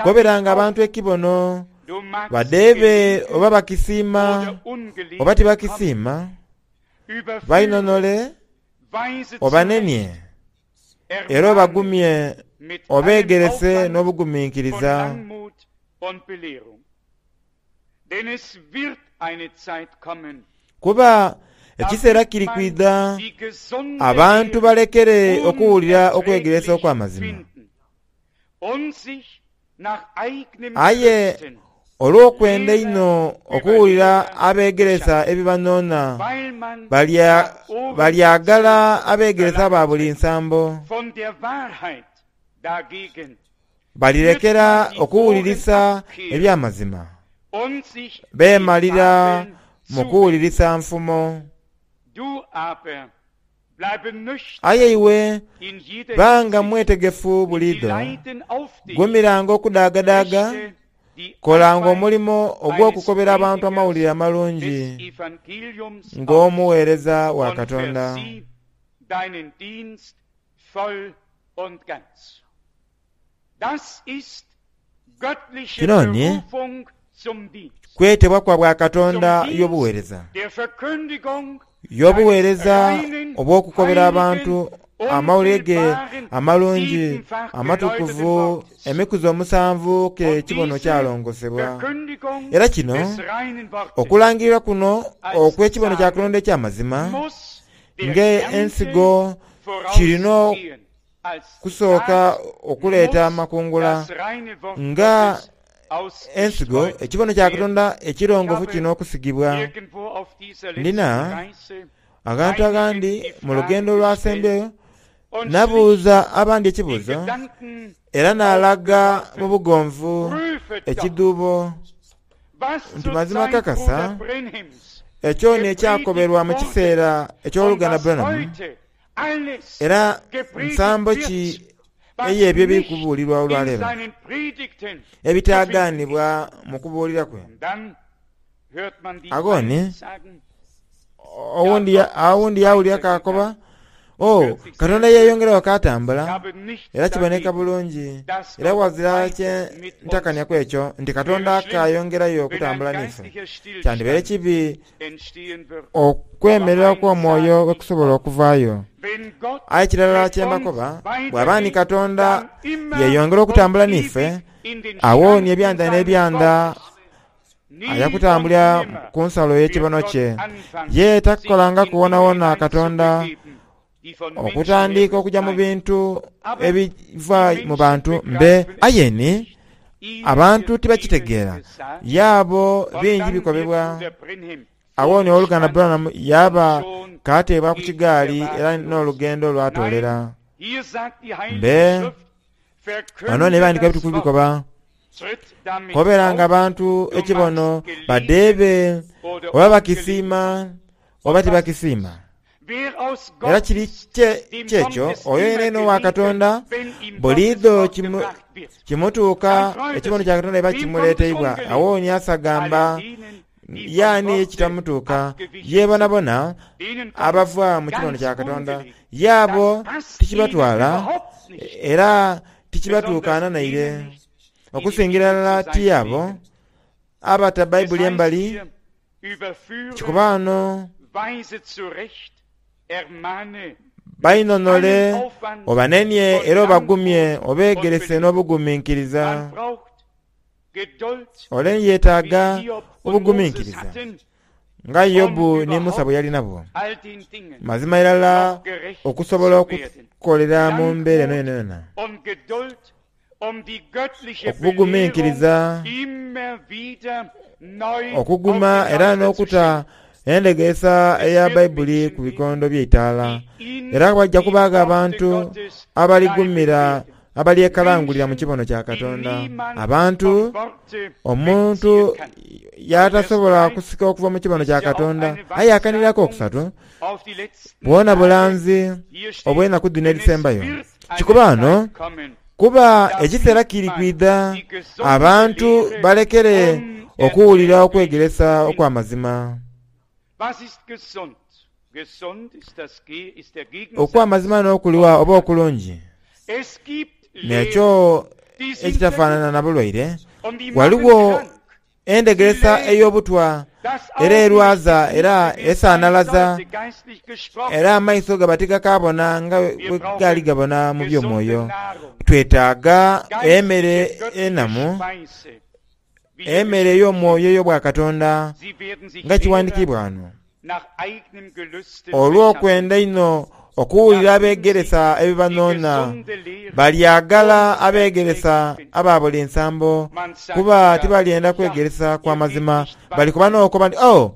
Goberanga abantu ekibono badheebe oba bakisiima oba tibakisiima, bainhonhole obanenie era obagumye obeegerese n'obuguminkiriza. Kuba ekiseera kiri kwidha abantu balekere okuwulira okwegeresa okw'amazima. Aye olw'okwenda einho okuwulira abeegeresa ebibanhoonha, balyagala abeegeresa ba buli nsambo. Balirekera okuwulirisa eby'amazima, beemalira mu kuwulirisa nfumo. Aye iwe banga mwetegefu buliidho, gumiranga okudaagadaaga, kolanga omulimo ogw'okukobera abantu amawulire amalungi ng'omuweereza wa Katonda. Kino ni kwetebwa kwa bwa Katonda y'obuweereza, y'obuweereza obw'okukobera abantu amawulire ge amalungi amatukuvu emikuzi omusanvu ke kibono kyalongosebwa. Era kino okulangirira kuno okw'ekibono kya Katonda eky'amazima ng'ensigo kirina kusooka okuleeta amakungula nga ensigo ekibono kya Katonda ekirongofu kino okusigibwa. Ndina agantu agandi mu lugendo lwasembyeyo nabuuza abandi ekibuuzo era n'alaga mu bugonvu ekiduubo nti mazima kakasa ekyo n'ekyakoberwa mu kiseera eky'oluganda Branham era nsambo ki ey'ebyo ebikubuulirwa olwaleero ebitagaanibwa mu kubuulira kwe. Agoni owundi awundi yawulira kakoba oh Katonda yeeyongerawo katambula era kiboneka bulungi era wazira kye ntakanya ku ekyo nti Katonda akayongerayo okutambula n'ife. Kyandibeere kibi okwemerera kw'omwoyo wekusobola okuvaayo. Aye kirala kyembakoba bw'aba ni Katonda yeeyongera okutambula n'ife awo ni ebyanda n'ebyanda ayakutambulira ku nsalo y'ekibono kye. Ye takukolanga kuwonawona Katonda okutandika okujja mu bintu ebiva mu bantu mbe ayeni abantu tibakitegeera yaabo bingi bikobebwa. Awo ni oluganda Branham yaba kateebwa ku kigaali era n'olugendo lwatoolera mbe wano n'ebandika ebitukuvu bikoba koberanga abantu ekibono badeebe oba bakisiima oba tibakisiima. Era kiri kyekyo oyo yeneno wa Katonda buliidho kimutuuka ekibono kya Katonda eba kimuleeteibwa. Awo ni asagamba yaani ekitamutuuka ye bonabona abava mu kibono kya Katonda yaabo tikibatwala era tikibatuukaana naire okusingira ddala ti abo abata Bayibuli embali kikubaano bainonole obanenye era obagumye obeegerese n'obugumiikiriza. Ole yeetaaga obugumiikiriza nga Yobu ne Musa bwe yali nabwo. Mazima irala okusobola okukolera mu mbeera eno yonayona okubugumiikiriza okuguma era n'okuta endegeesa eya Bayibuli ku bikondo by'eitaala. Era bajja kubaaga abantu abaligumira abalyekalangulira mu kibono kya Katonda. Abantu omuntu yatasobola kusika okuva mu kibono kya Katonda aye akanirako okusatu bwona bulanzi obw'enaku dhino edisembayo. Kikubaano kuba ekiseera kiri kwidha abantu balekere okuwulira okwegeresa okw'amazima. Okw'amazima n'okuliwa oba okulungi nekyo ekitafaanana na bulwaire. Waliwo endegeresa ey'obutwa era erwaza era esaanalaza era amaiso gaba tigakabona nga bwe gaali gabona mu by'omwoyo. Twetaaga emmere enamu, emmere ey'omwoyo ey'obwakatonda nga kiwandiikibwa wano. Olw'okwenda ino okuwulira abeegeresa ebibanoona balyagala abeegeresa aba buli nsambo kuba tibalyenda kwegeresa kwa mazima. Balikuba n'okoba nti oh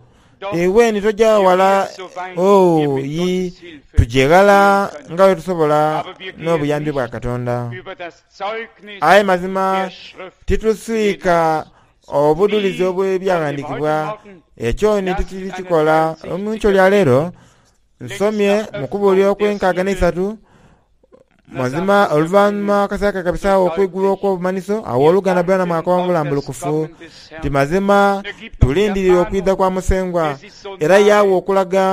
ewe tojja wala oh yi tujeghala nga bwe tusobola n'obuyambi bwa Katonda. Aye mazima tituswika obudulizi obw'ebyawandiikibwa ekyo ni tikiri kikola. Omunkyo lya leero nsomye mu kubuulira okw'enkaaga n'eisatu mazima oluvannyuma akaseera kabisaawo okwigulwa okw'obumaniso awo oluganda Branham akoba mu bulambulukufu nti mazima tulindirira okwidha kwa Musengwa era yaawa okulaga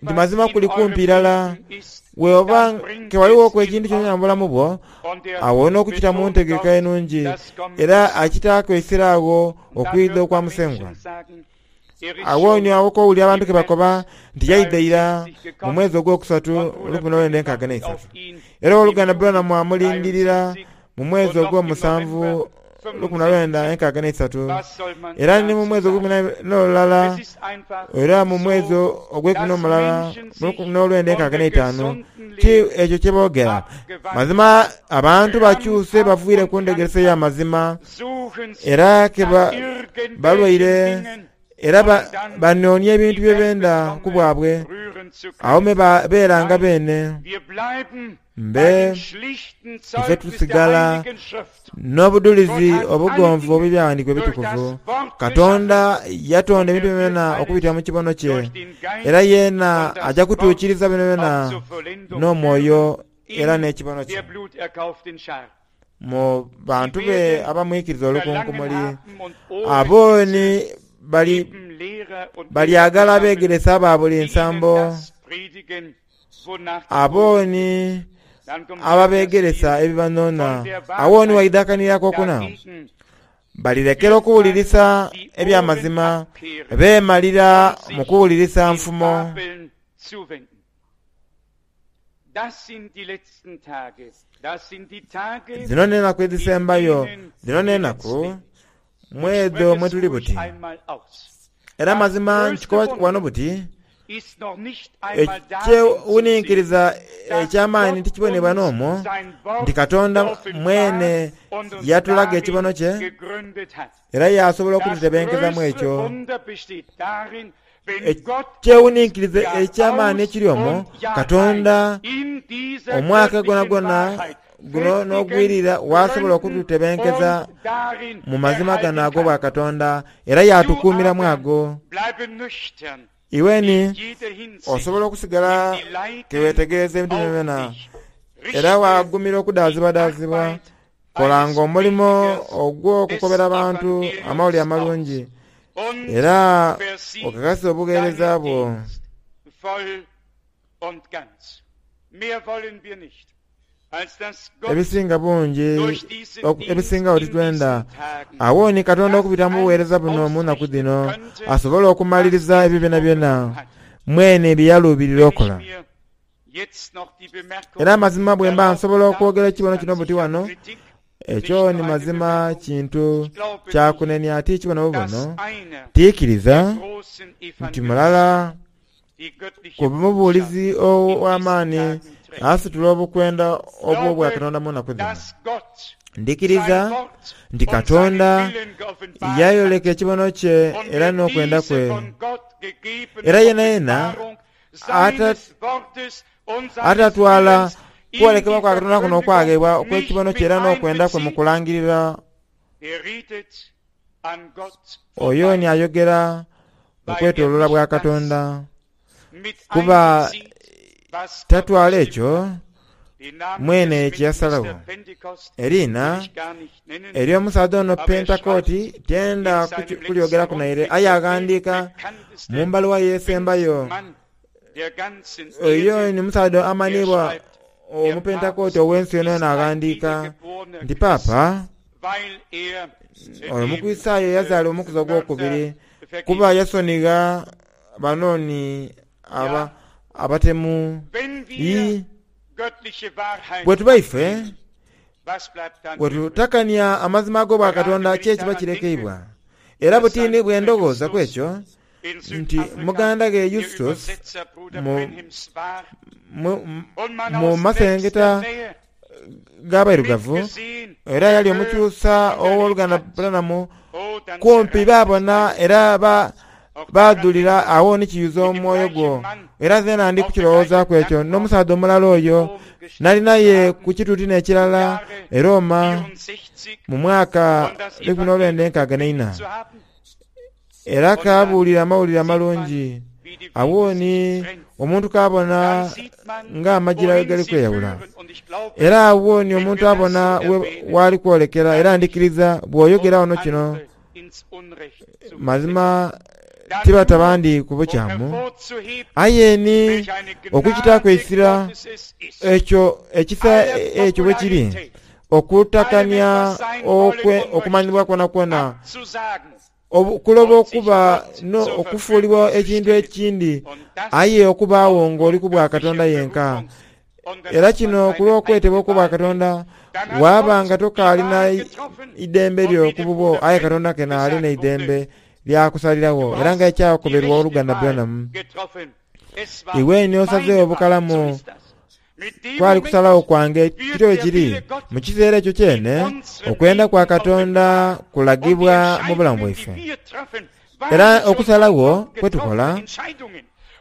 nti mazima kuli kumpi irala. Weoba ke waliwo ekintu kyonna mu bulamu bwo awo n'okukita mu ntegeka enungi era akitaako esiraawo okwidha okwa Musengwa. Awo ni awo kowulira abantu ke bakoba nti yaidha mu mwezi ogwokusatu lukumi n'olwenda enkaaga n'eisatu. Era owooluganda Branham amulindirira mu mwezi ogw'omusanvu lukumi na lwenda enkaaga n'eisatu. Era ni mu mwezi ogw'ekumi n'olulala, era mu mwezi ogw'ekumi n'omulala mu lukumi n'olwenda enkaaga n'eitaanu. Ki ekyo kye boogera? Mazima abantu bakyuse baviire ku ndegeresa ey'amazima, era ke balwaire, era banoonia ebintu bye benda ku bwabwe, awo me beeranga beene. Mbe ife tusigala n'obudulizi obugonvu obw'ebyawandiikibwa ebitukuvu. Katonda yatonda ebintu byona okubitira mu kibono kye, era yeena ajja kutuukiriza bino byona n'omwoyo era n'ekibono kye mu bantu be abamwikiriza olukunkumuli. Abo ni bali balyagala abeegeresa aba buli nsambo, abo ni ababeegeresa ebibanona. Awo ni waidhakanirako okuna balirekera okuwulirisa ebyamazima, beemalira mu kuwulirisa nfumo. Zino n'enaku edhisembayo, zino n'enaku mwedho mwe tuli buti. Era mazima nkikoba wano buti, ekyewuninkiriza eky'amaani tikibonebwa n'omwo nti Katonda mwene yatulaga ekibono kye era yasobola okututebenkezamu ekyo. Ekyewuninkiriza eky'amaani ekiri omwo, Katonda omwaka gwonagwona guno n'ogwirira wasobola okututebenkeza mu mazima gano ag'obwakatonda era yatukuumiramu ago. Iweni osobola okusigala kewetegereza ebintu byona era wagumira okudaazibwadaazibwa. Kolanga omulimo ogw'okukobera abantu amawulire amalungi era okakase obuweereza bwo. Ebisinga bungi ebisingawo titwenda. Awo ni Katonda okubita mu buweereza buno mu nnaku dhino asobola okumaliriza ebyo byonabyona mwene bye yaluubirira okola. Era amazima bwe mba nsobola okwogera ekibono kino buti wano, ekyo ni mazima kintu kyakunenia ti kibono bubono. Tiikiriza nti mulala ku mubuulizi ow'amaani asitula obukwenda obw'obwakatonda mu nnaku dhino. Ndikiriza nti Katonda yayoleka ekibono kye era n'okwenda kwe, era yena yena atatwala kwolekebwa kwa Katonda kuno okwagheebwa okw'ekibono kye era n'okwenda kwe mu kulangirira, oyo ni ayogera okwetooloola bwa Katonda, kuba tatwala ekyo mwene kye yasalawo. Eriina ery'omusaadha ono Pentekooti tyenda kulyogeraku naire, aye aghandiika mu mbaluwa yeesembayo. Oyo ni musaadha amanhiibwa omupentekooti ow'ensi yonayona, aghandiika nti Paapa oyo Omukristaayo eyazaala omukuzi ogwokubiri kuba yasonigha banooni aba abatemu. Bwe tuba ife bwe tutakania amazima ag'obwakatonda ki ekiba kirekeibwa? Era butini bwe ndowooza ku ekyo nti muganda ghe Justus mu, mu, mu masengeta g'abairugavu era yali omukyusa ow'oluganda Branham, kumpi baabona era ba badhulira awo ni kiyuza omwoyo gwo. Era zeena ndi kukirowoozaaku ekyo n'omusaadha omulala oyo nali naye ku kituuti n'ekirala e Roma mu mwaka lukumi n'olwenda enkaaga n'eina, era kabuulira amawulire amalungi. Awo ni omuntu kabona ng'amajira we gali kweyawula, era awo ni omuntu abona wali kwolekera. Era ndikiriza bw'oyogera wano kino mazima tibata bandi ku bukyamu, aye ni okukitaaku eisira ekyo ekisa ekyo bwe kiri okutakania okumanyibwa kwonakwona Okuloba okuba no okufuulibwa ekintu ekindi, aye okubaawo ng'oli ku bwa Katonda yenka. Era kino kulw'okwetebwa okubwa Katonda, waba nga tokaalina idembe lyo ku bubwo, aye Katonda kena alina idembe lyakusalirawo. Era nga ekyakoberwa oluganda Branham, iwe ni osazeewo obukalamu kwali kusalawo kwange kityo bwe kiri. Mu kiseera ekyo kyene, okwenda kwa Katonda kulagibwa mu bulamu bwaife. Era okusalawo kwetukola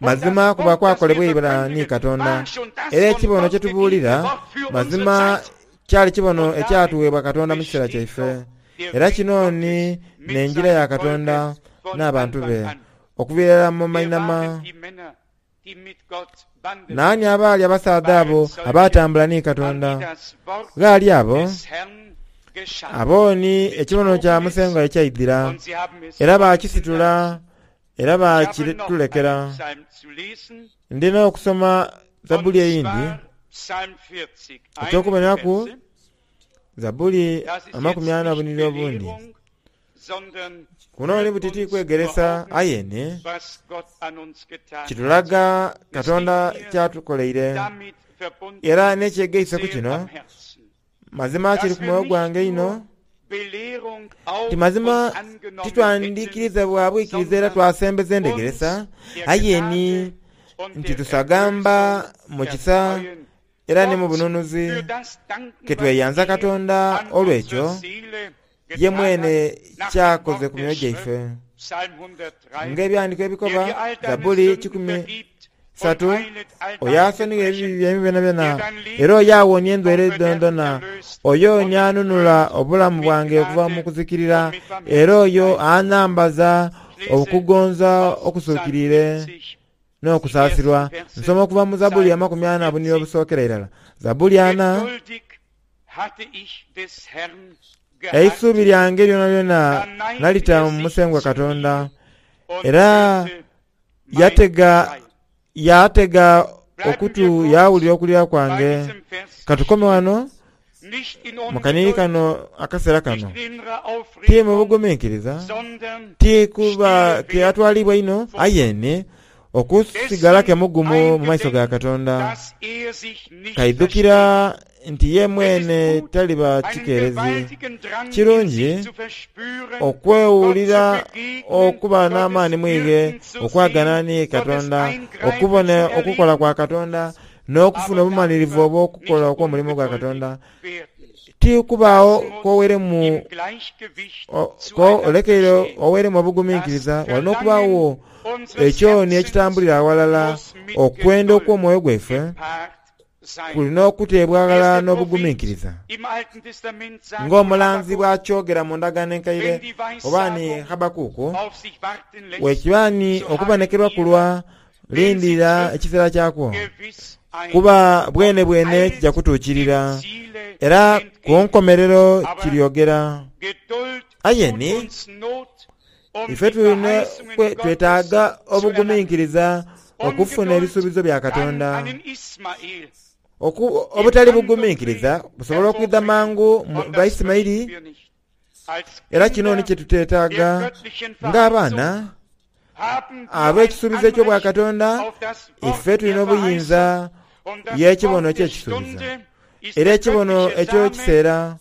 mazima kuba kwakolebwa ibula ni Katonda. Era ekibono kye tubuulira mazima kyali kibono ekyatuweebwa Katonda mu kiseera kyaife. Era kino ni n'enjira ya Katonda n'abantu be okuviira mu mainama. Naani abaali abasaadha abo abatambula ni Katonda? Ghaali abo abo ni ekibono kya Musengwa ekyaidhira, era bakisitula era bakitulekera. Ndina okusoma Zabbuli eyindi eky'okuboneraku Zabbuli amakumi ana obuniri obundi. Kuno ni butiti kwegeresa ayene kitulaga Katonda kyatukoleire. Era n'ekyegeise ku kino mazima kiri ku mwoyo gwange ino nti mazima titwandiikiriza bwa bwikiriza era twasembeza endegeresa, aye ni nti tusagamba mu kisa era ni mu bununuzi ketweyanza Katonda olw'ekyo ye mwene kyakoze ku myoyo gyaife. Ng'ebyandiko ebikoba Zabbuli kikumi satu, oyo asonigha ebibi byaimwe byonabyona era oyo awonia endwaire dhonadhona, oyo ni anunula obulamu bwange okuva mu kuzikirira, era oyo anambaza okugonza okusuukiriire n'okusaasirwa. Nsoma okuva mu Zabbuli amakumi ana obuniri obusookera irala. Zabbuli ana, eisuubi lyange lyonalyona nalita mu Musengwa Katonda, era yatega yatega okutu yawulira okulira kwange. Katukome wano mu kaniri kano akaseera kano. Ti mu bugumiikiriza, ti kuba ke atwalibwa ino, ayene okusigala ke mugumu mu maiso ga Katonda. Kaidhukira nti ye mwene taliba kikeerezi. Kirungi okwewulira okuba n'amaani mwighe, okwagana ni Katonda, okubona okukola kwa Katonda, n'okufuna obumalirivu obw'okukola okw'omulimu gwa Katonda. Ti kubaawo kwoweremu olekeire oweremu obugumiikiriza, walina okubaawo ekyo ni ekitambulira awalala okwenda okw'omwoyo gwaife kulina okuteebwa aghalala n'obugumiikiriza. Ng'omulanzi bw'akyogera mu ndagaano enkaire oba ni Habakuku, wekiba ni okubonekerwa kulwa lindirira ekiseera kyakwo, kuba bwene bwene kijja kutuukirira era ku nkomerero kiryogera. Aye ni ife tulina twetaaga obugumiikiriza okufuna ebisuubizo bya Katonda. Obutali bugumiikiriza busobola okwidha mangu mu Baisimaili, era kino ni kyetuteetaaga ng'abaana ab'ekisuubizo eky'obwa Katonda. Ife tulina obuyinza y'ekibono eky'ekisuubizo, era ekibono eky'ekiseera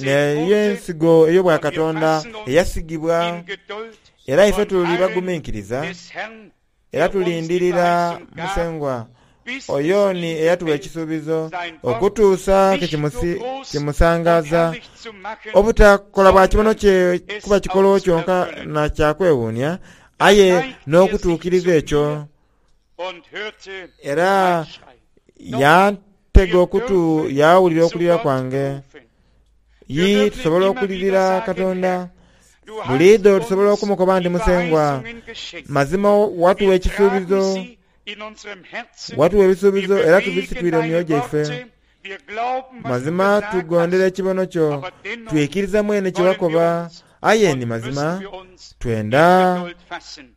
n'ey'ensigo ey'obwa Katonda eyasigibwa, era ife tuli bagumiikiriza era tulindirira Musengwa oyo ni eyatuwa ekisuubizo okutuusa ke kimusangaza. Obutakola bwa kibono kye kuba kikolo kyonka na kyakwewuunia, aye n'okutuukiriza ekyo. Era yantega okutu yawulira okulira kwange. Yi tusobola okulirira Katonda buliidho, tusobola okumukoba nti Musengwa mazima watuwa ekisuubizo, watuwa ebisuubizo era tubisitwire mu myoyo gyaife. Mazima tugondera ekibono kyo, twikiriza mwene kye wakoba, aye ni mazima twenda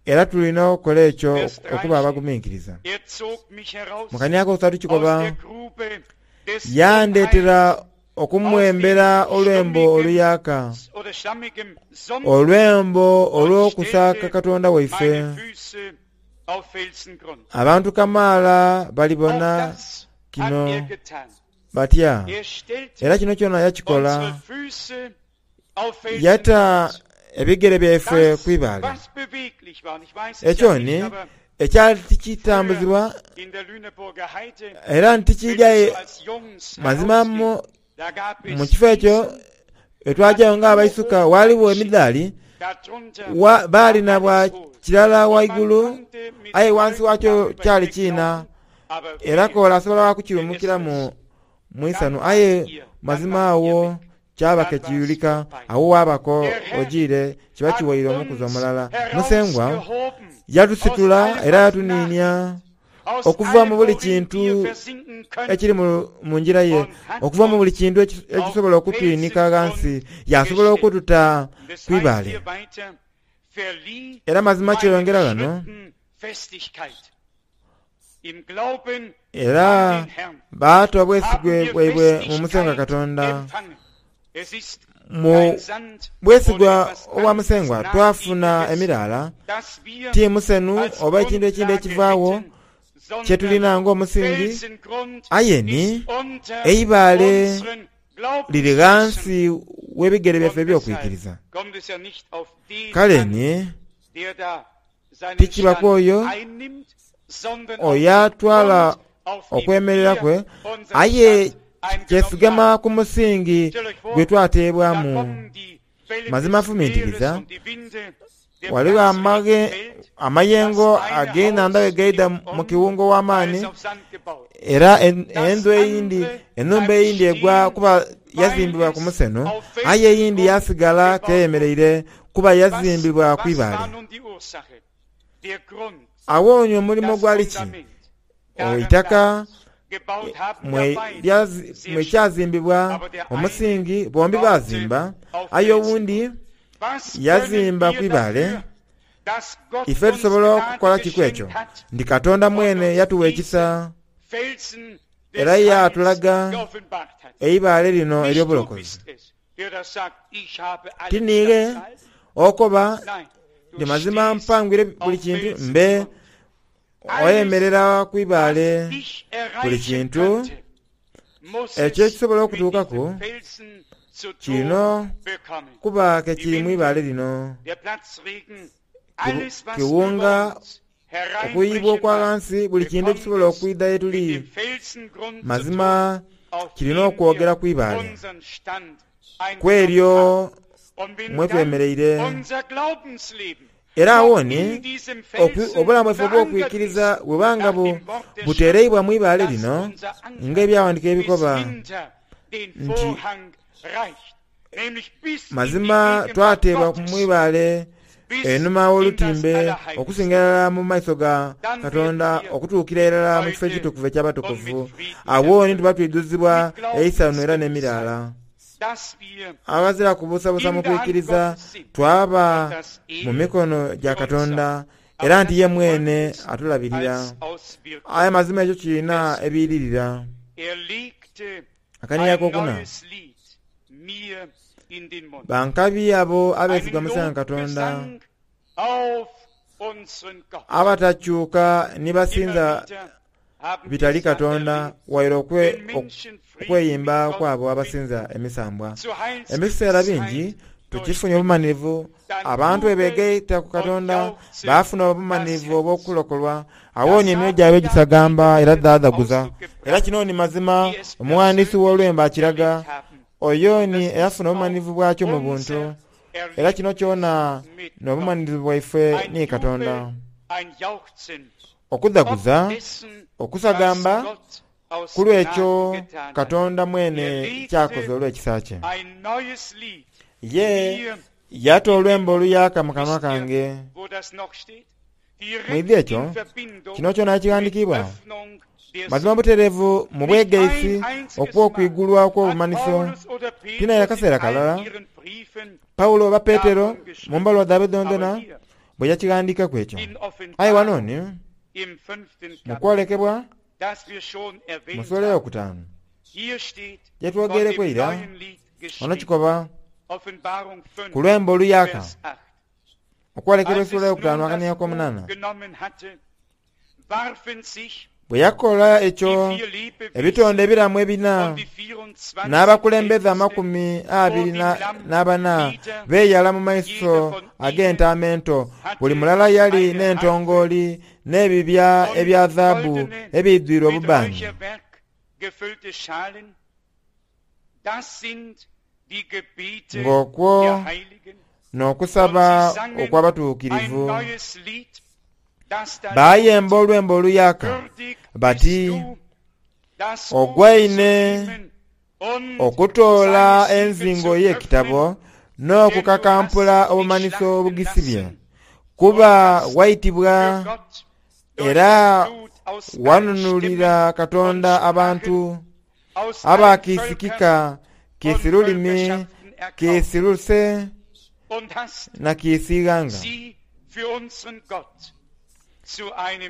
era tulina okukola ekyo okuba abagumiikiriza. Mu kani akokusatu kikoba, yandeetera Okumwembera olwembo oluyaka, olwembo olw'okusaaka Katonda waife. Abantu kamaala balibona kino batya, era kino kyona yakikola. Yata ebigere byaife ku ibaale. Ekyo ni ekyali tikitambuzibwa era ntikidya mazima mu kifo ekyo etwajayo nga abaisuka waliwo emidaali baali na bwa kirala waigulu, aye wansi wakyo kyali kiina, era kola asobola kukirumukiramu mu isanu, aye mazima awo kyaba kekiyulika awo wabako ojiire kiba kiwaire omukuzi omulala. Musengwa yatusitula era yatuniinia okuva mu buli kintu ekiri mu njira ye, okuva mu buli kintu ekisobola okutwinika ghansi, yasobola okututa ku ibaale. Era mazima kyeyongera ghano, era baata obwesigwe bwaibwe mu Musengwa Katonda. Mu bwesigwa obwa Musengwa twafuna emiraala, ti musenu oba ekintu ekindi ekivaawo kyetulina ng'omusingi, aye ni eibaale liri ghansi w'ebigere byaife eby'okwikiriza. Kale ni tikiba ku oyo oyo atwala okwemerera kwe, aye kyesigama ku musingi gwe twateebwamu. Mazima fumintiriza, waliwo amayengo ag'enhandha bwe gaidha mu kiwungo w'amaani, era endhu eyindi, enhumba eyindi egwa kuba yazimbibwa ku museno, aye eyindi yasigala keyemereire kuba yazimbibwa ku ibaale. Awo ni omulimo gwali ki? Eitaka mwekyazimbibwa omusingi, bombi bazimba, aye owundi yazimba ku ibaale. Ife tusobola okukola kiku ekyo? Ndi Katonda mwene yatuwa ekisa era yatulaga eibaale lino ery'obulokozi. Tiniire okoba ndi mazima mpangwire buli kintu, mbe oyemerera ku ibaale buli kintu ekyo ekisobola okutuukaku kirina kuba kekiri mu ibaale lino. Kiwunga, okuyibwa okwa ghansi, buli kintu ekisobola okwidha ye tuli mazima kirina okwogera ku ibaale kweryo mwetwemereire. Era awo ni obulamu bwaife obw'okwikiriza bwebanga butereibwa mu ibaale lino, ng'ebyawandiikibwa ebikoba nti mazima twateebwa mu ibaale enhuma w'olutimbe okusinga irala mu maiso ga Katonda, okutuukira irala mu kifo ekitukuvu eky'abatukuvu. Awo ni tuba twidhuzibwa eisanhu era n'emiraala. Aghazira kubuusabuusa mu kwikiriza, twaba mu mikono gya Katonda, era nti ye mwene atulabirira. Aye mazima ekyo kirina ebiiririra. Akaniya akokuna, bankabi abo abeesiga Musengwa Katonda, abatakyuka ni basinza bitali Katonda, waire okweyimba kwabo abasinza emisambwa. Ebiseera bingi tukifunye obumanhirivu, abantu bwe beegaita ku Katonda baafuna obumanhirivu obw'okulokolwa. Awo ni emyoyo gyabwe gisagamba era dhaadhaguza. Era kino ni mazima omughandiisi w'olwembo akiraga, oyo ni eyafuna obumanhirivu bwakyo mu buntu. Era kino kyona n'obumanhirivu bwaife ni Katonda. Okudhaguza, okusagamba, ku lw'ekyo Katonda mwene kyakoze olw'ekisa kye. Ye yata olwembo oluyaka mu kanwa kange. Mwidhi ekyo, kino kyona ekighandiikibwa mazima butereevu mu bwegaisi okw'okwigulwa okw'obumanhiso. Tinaire akaseera kalala Paulo oba Petero mu mbaluwa dhaibwe dhondhona bwe yakighandiikaku ekyo. Aye wano ni mu kwolekebwa mu sula eyokutaanu Gyetwogereku eira ono kikoba ku lwembo oluyaka okwolekera essuula eyokutaanu akania akomunana. Bwe yakola ekyo ebitonde ebiramu ebina n'abakulembeze amakumi abiri n'abana beeyala mu maiso ag'entaama ento. Buli mulala yali n'entongooli n'ebibya ebya zaabu ebidhwire obubaani. Ng'okwo n'okusaba okw'abatuukirivu. Baayemba olwembo oluyaka bati, ogwaine okutoola enzingo y'ekitabo n'okukakampula obumanhiso obugisibye, kuba waitibwa era wanunulira Katonda abantu abakiisikika kiisi lulimi, kiisi luse na kiisi ighanga.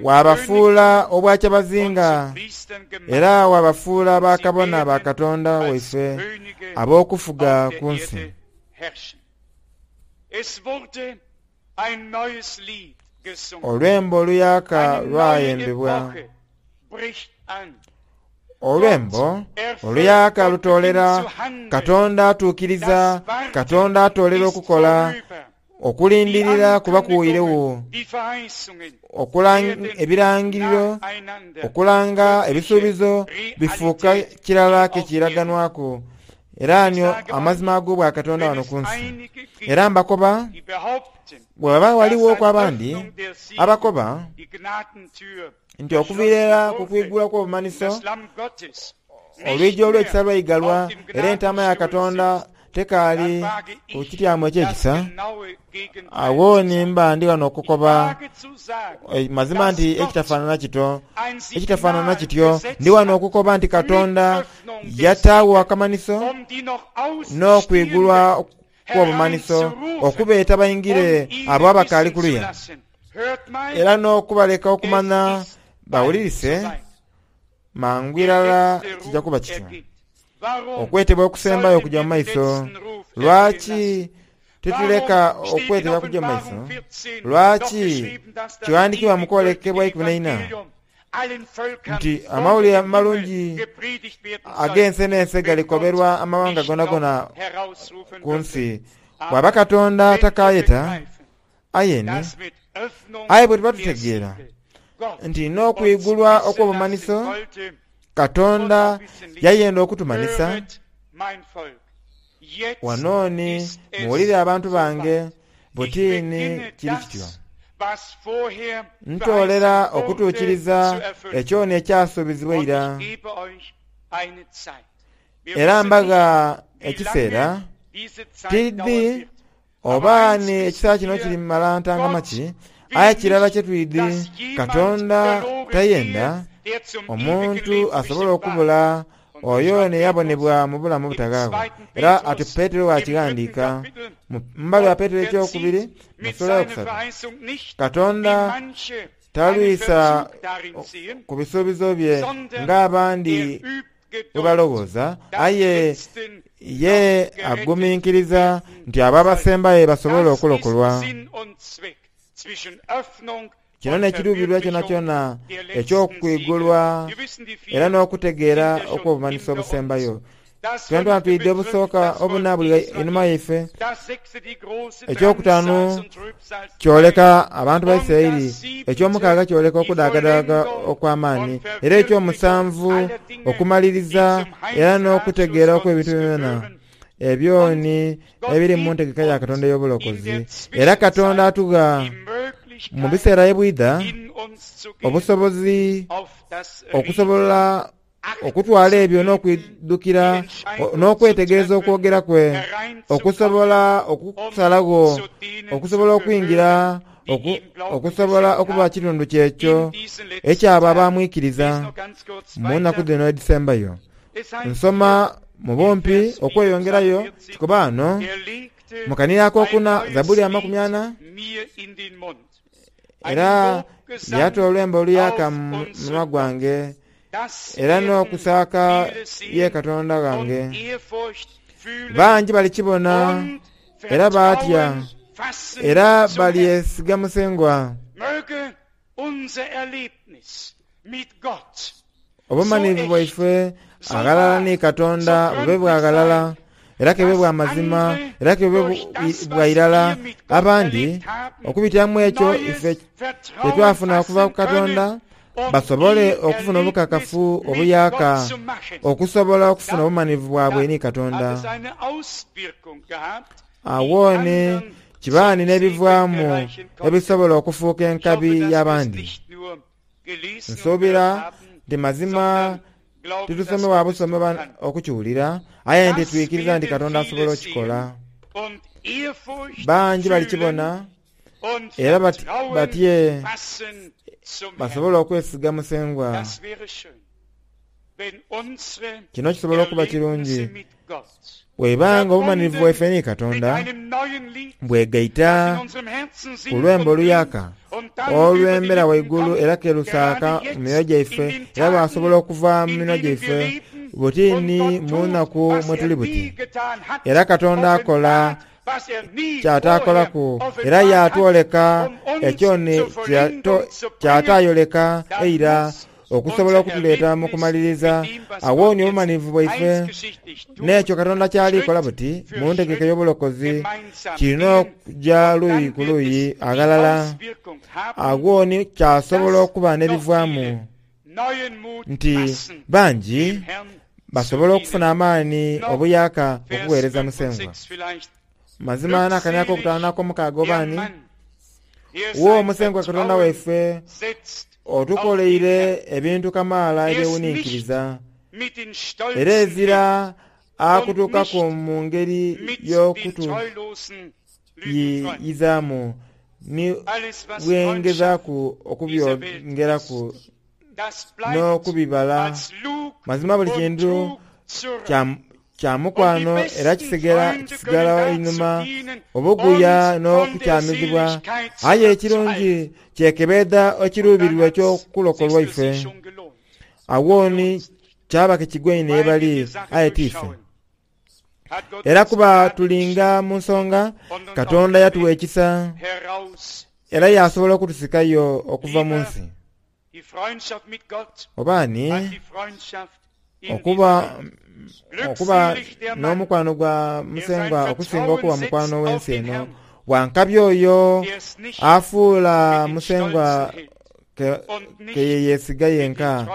Wabafuula obwakyabazinga era wabafuula bakabona ba Katonda waife ab'okufuga ku nsi. Olwembo oluyaka lwayembebwa. Olwembo oluyaka lutoolera Katonda atuukiriza, Katonda atoolera okukola, okulindirira kuba kuweirewo, ebirangiriro, okulanga ebisuubizo bifuuka kirala kekiraganwaku. Era nyo amazima ag'obwa Katonda wano ku nsi. Era mbakoba bwe baba waliwo okw'abandi abakoba nti okuviira era ku kwigula kw'obumanhiso olwigi olw'ekisa lwaigalwa era entaama ya Katonda tekaali ku kityamo eky'ekisa, awo ni mba ndi wano okukoba mazima nti ekitafaanana kito ekitafaanana kityo ndi wano okukoba nti Katonda yataawo akamanhiso n'okwigulwa kw'obumanhiso okubeeta baingire abo abakaali kuluya era n'okubaleka okumanya bawulirise mangu irala kijja kuba kityo. Okwetebwa okusembayo okujja mu maiso. Lwaki tituleka okwetebwa kujja mu maiso? Lwaki kiwandikibwa mu kwolekebwa ikumi n'eina nti amawulire amalungi ag'ensi n'ensi galikoberwa amawanga gonagona ku nsi. Bw'aba Katonda takayeta ayeni, aye bwe tuba tutegeera nti n'okwigulwa okw'obumanhiso Katonda yayenda okutumanhisa. Wanooni muwulire abantu bange butiini kiri kityo. Ntoolera okutuukiriza ekyoni ekyasuubizibwa eira. Era mbaga ekiseera tidhi oba ni ekiseera kino kiri mala ntangama ki, aye kirala kye twidhi Katonda tayenda omuntu asobola okubula oyo neyabonebwa mu bulamu obutaghaagho. Era ati Petero bw'akighandiika mu mbaluwa ya Petero ekyokubiri mu ssuula eyokusatu, Katonda talwisa ku bisuubizo bye ng'abandi bwe balowooza, aye ye aguminkiriza nti abo abasembayo basobole okulokolwa. Kino n'ekiruubirirwa kyonakyona eky'okwigulwa era n'okutegeera okw'obumanhiso obusembayo. Twena twidde obusooka obuna buli einhuma yaife. Ekyokutaanu kyoleka abantu ba Isiraeli, ekyomukaaga kyoleka okudaagadaaga okw'amaani, era ekyomusanvu okumaliriza era n'okutegeera okw'ebintu byona ebyoni ebiri mu ntegeka ya Katonda ey'obulokozi. Era Katonda atugha mu biseera ebwidha obusobozi okusobola okutwala ebyo n'okwidukira n'okwetegereza okwogera kwe, okusobola okusalagho, okusobola okwingira, okusobola okuba kitundu kyekyo ekyabo abamwikiriza mu nnaku dhino edhisembayo. Nsoma mu bumpi okweyongerayo kikoba ghano mu kanira akokuna Zabuli amakumi ana, era yata olwembo oluyaka mu munwa gwange, Era n'okusaaka ye Katonda ghange. Bangi balikibona era baatya, era balyesiga Musengwa. Obumanivu bwaife aghalala ni Katonda bube bwa ghalala, era kebe bwa mazima, era kebe bwa irala. Abandi okubitiramu ekyo ife kyetwafuna okuva ku Katonda basobole okufuna obukakafu obuyaka okusobola okufuna obumanivu bwabwe ni Katonda. Awo ni kibaani n'ebivaamu ebisobola okufuuka enkabi y'abandi. Nsuubira nti mazima titusome busome okukiwulira, aye nti twikiriza nti Katonda asobola okukikola. Bangi balikibona era batye basobola okwesiga Musengwa. Kino kisobola okuba kirungi bwebanga obumanirivu bwaife ni Katonda bwegaita ku lwembo oluyaka olwembera waigulu era kerusaaka mu myoyo gyaife, era lwasobola okuva mu minwa gyaife buti ni mu nnaku mwe tuli buti. Era Katonda akola kyataakolaku, era yatwoleka ekyo ni kyataayoleka eira okusobola okutuleeta mu kumaliriza. Awo ni obumanivu bwaife n'ekyo Katonda kyalikola buti mu ntegeka ey'obulokozi kirina okuja luuyi ku luuyi aghalala. Agwo ni kyasobola okuba n'ebivaamu nti bangi basobola okufuna amaani obuyaka okuweereza Musengwa. Mazima n'akaniako okutaano n'akomukaaga obaani wo Musengwa Katonda waife otukoleire ebintu kamaala ebyewuninkiriza, era ezira akutuukaku mu ngeri y'okutuyiyizaamu ni bwengezaaku okubyongeraku n'okubibala. Mazima buli kintu kya mukwano era kisigala einhuma obuguya n'okukyamizibwa, aye ekirungi kyekebedha ekiruubirirwa eky'okulokolwa ife. Awo ni kyaba kikigwaine ye bali aye ti ife. Era kuba tulinga mu nsonga, Katonda yatuwa ekisa era yasobola okutusikayo okuva mu nsi. Obaani okuba okuba n'omukwano gwa Musengwa okusinga okuba mukwano w'ensi eno. Wankabi oyo afuula Musengwa ke yeesiga yenka,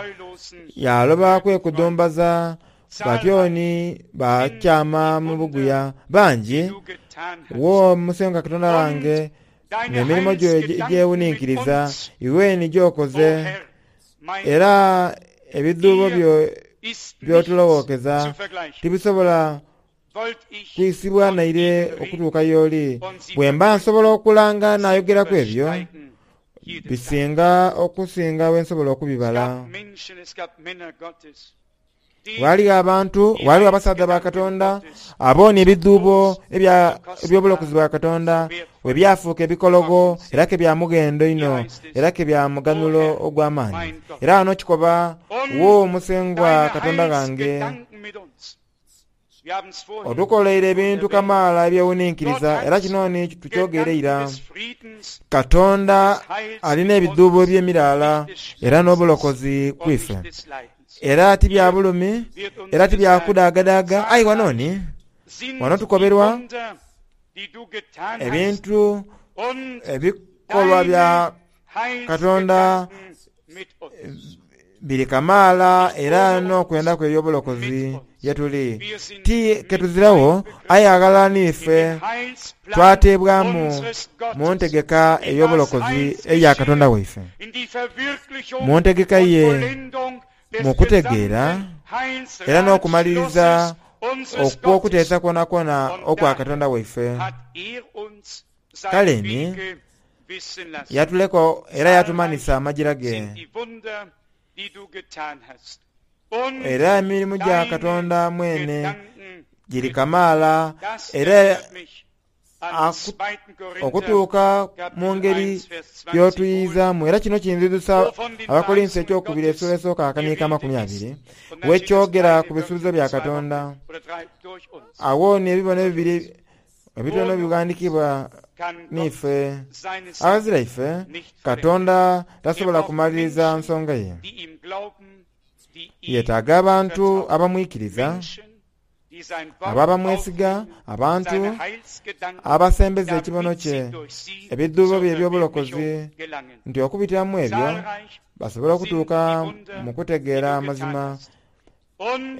yaloba kwekudumbaza batyoni bakyama mu buguya. Bangi wo Musengwa Katonda wange n'emirimo gyo egyewuninkiriza iwe ni gy'okoze, era ebidhuubo byo by'otulowookeza tibisobola kwisibwa naire okutuuka y'oli. Bwe mba nsobola okulanga naayogeraku ebyo, bisinga okusinga bwe nsobola okubibala. Waaliwo abantu, waaliwo abasaadha ba Katonda aboona ebidhuubo eby'obulokozi bwa Katonda bwe byafuuka ebikologo era ke bya mughendo inho era ke bya muganhulo ogw'amaani. Era wano kikoba wo Musengwa Katonda ghange otukoleire ebintu kamaala ebyewuninkiriza, era kino ni tukyogeire ira. Katonda alina ebidhuubo eby'emiraala era n'obulokozi ku ife, era ti bya bulumi era ti bya kudaagadaaga. Aye wano ni wano tukoberwa ebintu ebikolwa bya Katonda biri kamaala era n'okwenda kwe eby'obulokozi ye tuli. Ti ketuzirawo aye aghalala n'ife twateebwamu mu ntegeka ey'obulokozi eya Katonda waife, mu ntegeka ye mu kutegeera era n'okumaliriza okw'okuteesa kwonakwona okwa Katonda waife. Kale ni yatuleka era yatumanhisa amajira ge, era emirimu gya Katonda mwene giri kamaala era Okutuuka mu ngeri y'otuyizaamu. Era kino kinzizusa Abakolinso ekyokubiri essuula esooka akaniika amakumi abiri, wekyogera ku bisuubizo bya Katonda. Awo ni ebibono ebibiri ebitono bighandikibwa niife. Aghazira ife, Katonda tasobola kumaliriza nsonga ye. Yeetaaga abantu abamwikiriza, abo abamwesiga, abantu abasembeza ekibono kye, ebidhuubo bye eby'obulokozi, nti okubitiramu ebyo basobole okutuuka mu kutegeera amazima.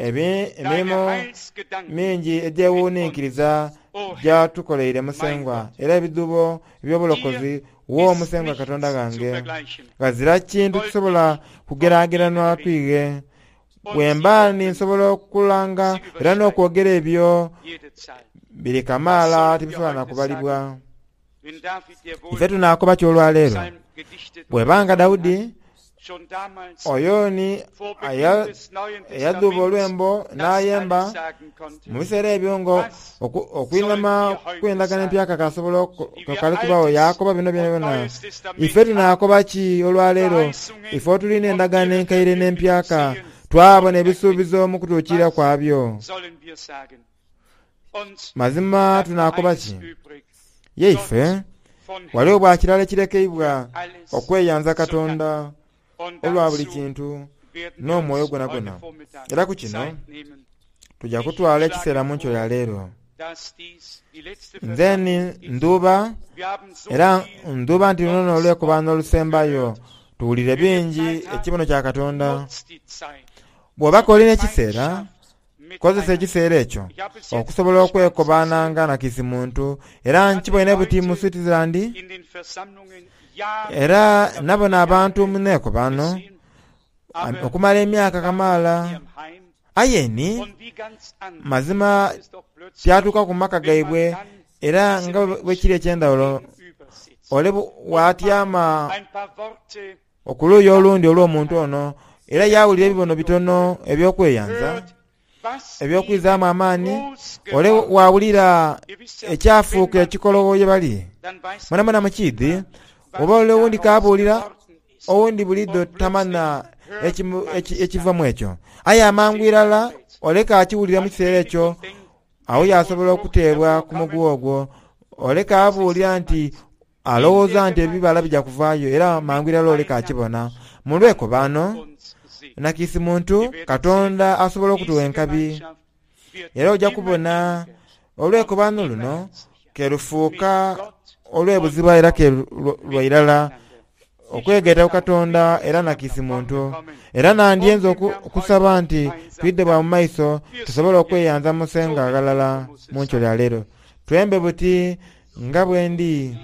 Emirimo mingi egyewuninkiriza gyatukoleire Musengwa, era ebidhuubo eby'obulokozi wo Musengwa Katonda ghange. Ghazira kintu kisobola kugerageranwa kwighe. Bwemba ninsobola okulanga era n'okwogera ebyo biri kamaala tibisobola na kubalibwa. Ife tunaakoba ki olwaleero? Bwebanga Dawudi oyo ni eyadhuuba olwembo n'ayemba mu biseera ebyo nga okwinhama kw'endagaano empyaka kasobola kali kubaawo, yaakoba bino byonabyona. Ife tunaakoba ki olwaleero? Ife otulina endagaano enkaire n'empyaka, twabona ebisuubizo mu kutuukirira kwabyo. Mazima tunaakoba ki? Ye ife waliwo bwa kirala ekirekeibwa okweyanza Katonda olwa buli kintu n'omwoyo gwonagwona. Era ku kino tujja kutwala ekiseera mu nkyo ya leero. Nze ni ndhuuba, era ndhuuba nti luno n'olwekobano olusembayo tuwulire bingi ekibono kya Katonda. Bw'oba olina ekiseera, kozesa ekiseera ekyo okusobola okwekobananga na kisi muntu. Era nkiboine buti mu Switzerland, era nabona abantu mu neekobano okumala emyaka kamaala. Aye ni mazima tyatuuka ku maka gaibwe, era nga bwekiri eky'endhawulo ole bw'atyama okuluuyi olundi olw'omuntu ono, era yawulira ebibono bitono eby'okweyanza, ebyokwizaamu amaani, ole wawulira ekyafuuka ekikologo ye bali. Mwenamwena mukiidhi, oba ole owundi kabuulira, owundi buliidho tamanya ekiva mu ekyo. Aye amangu irala oleka akiwulira mu kiseera ekyo, awo yasobola okuteebwa ku muguwa ogwo. Oleka abuulira nti alowooza nti ebibala bija kuvaayo, era mangu irala oleka akibona. Mu lwekobano nakisi muntu Katonda asobola okutuwa enkabi, era ojja kubona olwekobano luno kerufuuka olw'ebuziba era ke lwairala okwegaita ku Katonda era nakisi muntu. Era nandyenza okusaba nti twidde bwa mu maiso tusobole okweyanza Musenga aghalala mu nkyo lya leero. Twembe buti nga bwendi.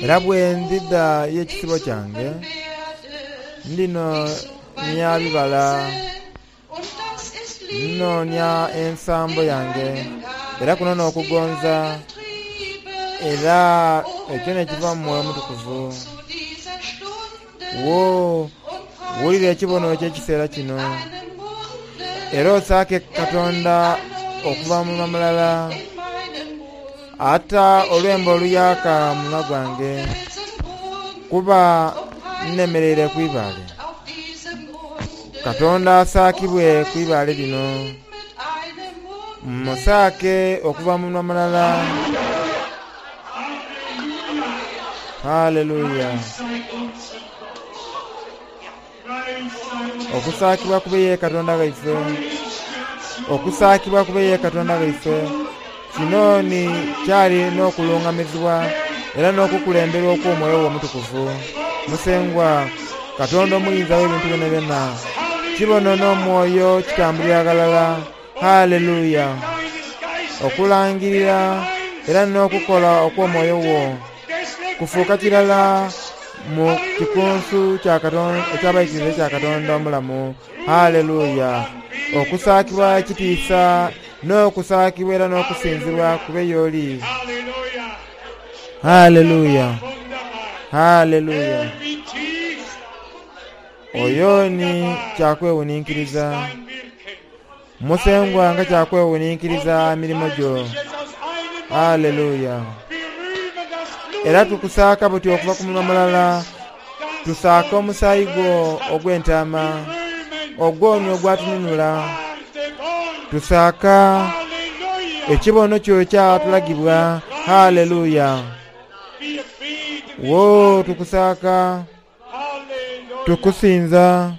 Era bwe ndidha y'ekisibo kyange, ndinoonia bibala, nnoonia ensambo yange, era kuno n'okugonza, era ekyo n'ekiva mu Mwoyo Mutukuvu. Wo wulira ekibono eky'ekiseera kino, era osaake Katonda okuva mu mulala, ata olwembo oluyaaka mu munwa gwange, kuba nnemereire ku ibaale. Katonda asaakibwe ku ibaale lino. Musaake okuva mu munwa mulala. Haleluya! Okusaakibwa kube ye Katonda ghaife, okusaakibwa kube ye Katonda ghaife. Kino ni kyali n'okulungamizibwa era n'okukulemberwa okw'omwoyo we omutukuvu. Musengwa Katonda omuyinza w'ebintu byonabyona, kibono n'omwoyo kitambulira ghalala. Haleluya! Okulangirira era n'okukola okw'omwoyo wo kufuuka kirala mu kikunsu eky'abaikiriza ekya Katonda omulamu. Haleluya! Okusaakibwa ekitiisa n'okusaakibwa era n'okusinzibwa kube y'oli. Haleluya! Haleluya! Oyo ni kyakwewuninkiriza. Musengwa nga kyakwewuninkiriza mirimo gyo. Haleluya! Era tukusaaka buti okuva ku munwa mulala, tusaaka omusaayi gwo ogw'entaama, ogwoni ogwatununula. Tusaaka ekibono kyo ekyatulagibwa. Haleluya! Wo tukusaaka, tukusinza.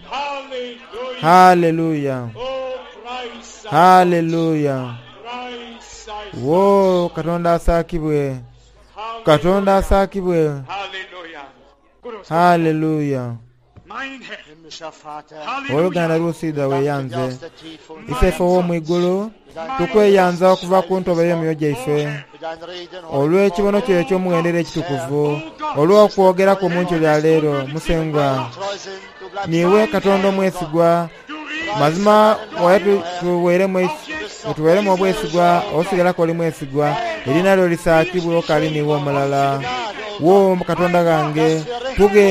Haleluya! Haleluya! Wo Katonda asaakibwe, Katonda asaakibwe. Haleluya! Oluganda lusiidha weeyanze, Iseife ow'omwigulu, tukweyanza okuva ku ntobo y'emyoyo gyaife olw'ekibono kyo eky'omuwendo era ekitukuvu, olw'okwogeraku omunkyo lya leero. Musengwa, niiwe Katonda omwesigwa, mazima waye tuweeremu obwesigwa, osigalaku oli mwesigwa, eriina lyo lisaakibwe okali niiwe omulala. Wo Katonda ghange, tughe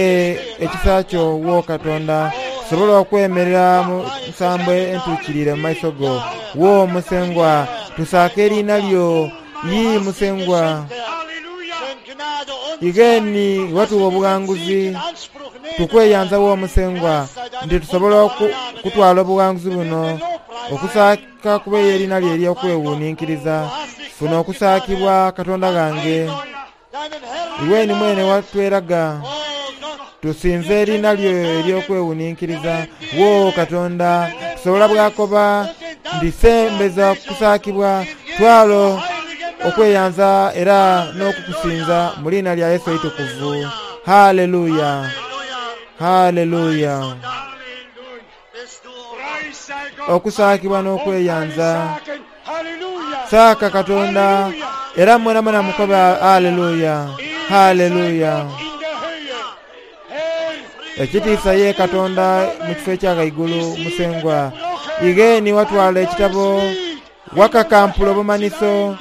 ekisa kyo wo Katonda, tusobole okwemerera mu nsambo entuukiriire mu maiso go. Wo Musengwa, tusaake eriina lyo. Yii Musengwa, igheni watuwa obughanguzi, tukweyanza wo Musengwa nti tusobola okutwala obughanguzi buno. Okusaaka kube eriina lyo ery'okwewuninkiriza. Funa okusaakibwa Katonda ghange, iweni mwene watweraga. Tusinze eriina lyo ery'okwewuninkiriza. Wo Katonda, tusobola bwakoba nti sembeza okusaakibwa, twalo okweyanza era n'okukusinza mu liina lya Yesu eitukuvu. Haleluya! Haleluya! Okusaakibwa n'okweyanza. Saaka Katonda era mwenamwena mukobe haleluya! Haleluya! Ekitiisa ye Katonda mu kifo ekya ghaigulu. Musengwa, igheni watwala ekitabo, wakakampula obumaniso,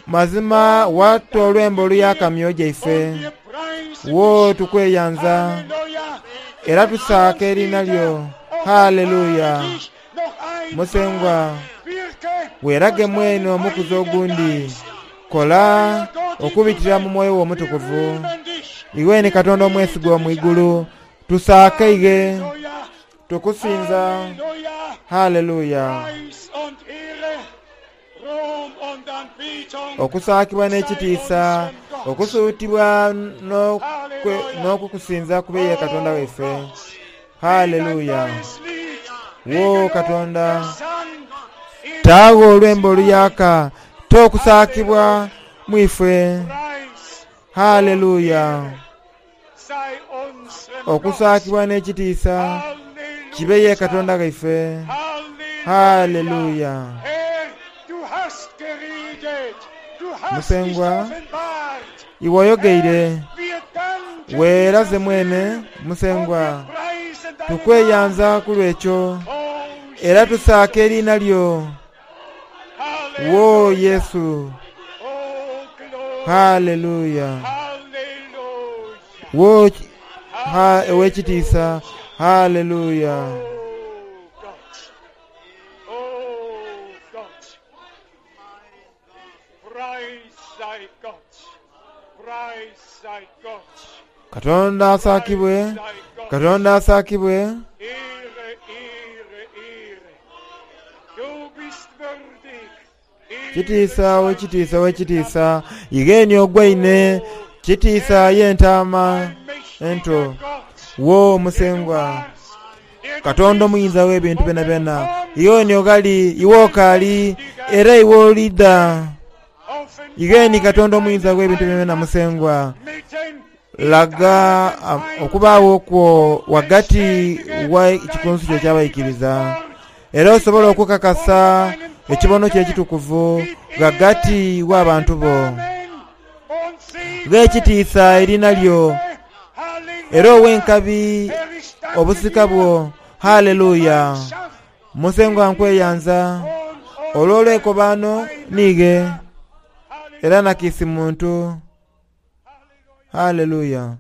mazima wata olwembo oluyaka myoyo gyaife. Wo tukweyanza era tusaaka eriina lyo. Haleluya! Musengwa, weerage mwene omukuzi ogundi, kola okubitira mu mwoyo wo omutukuvu. Iweni Katonda omwesigwa omwigulu, tusaake ighe, tukusinza. Haleluya! Okusaakibwa n'ekitiisa, okusuutibwa n'okukusinza kube ye Katonda waife. Haleluya! Wo Katonda, taagho olwembo oluyaka, t'okusaakibwa mwife. Haleluya! Okusaakibwa n'ekitiisa kibe ye Katonda ghaife. Haleluya! Musengwa, iwe oyogeire, weeraze mwene. Musengwa, tukweyanza ku lw'ekyo era tusaaka eriina lyo. Wo Yesu! Haleluya! Wo ow'ekitiisa! Haleluya! Katonda asaakibwe, Katonda asaakibwe. Kitiisa wekitiisa wekitiisa igheni ogwaine kitiisa y'entaama ento. Wo Musengwa Katonda omuyinza w'ebintu byonabyona, igheni oghali, iwe okaali, era iwe olidha. Igheni Katonda omuyinza w'ebintu byonabyona Musengwa, laga okubaagho kwo ghagati wa kikunsu kyo eky'abaikiriza, era osobole okukakasa ekibono kyo ekitukuvu ghagati w'abantu bo. Gha ekitiisa eriina lyo, era owe enkabi obusika bwo. Haleluya! Musengwa nkweyanza olw'olwekobaano niighe, era na kiisi muntu. Haleluya!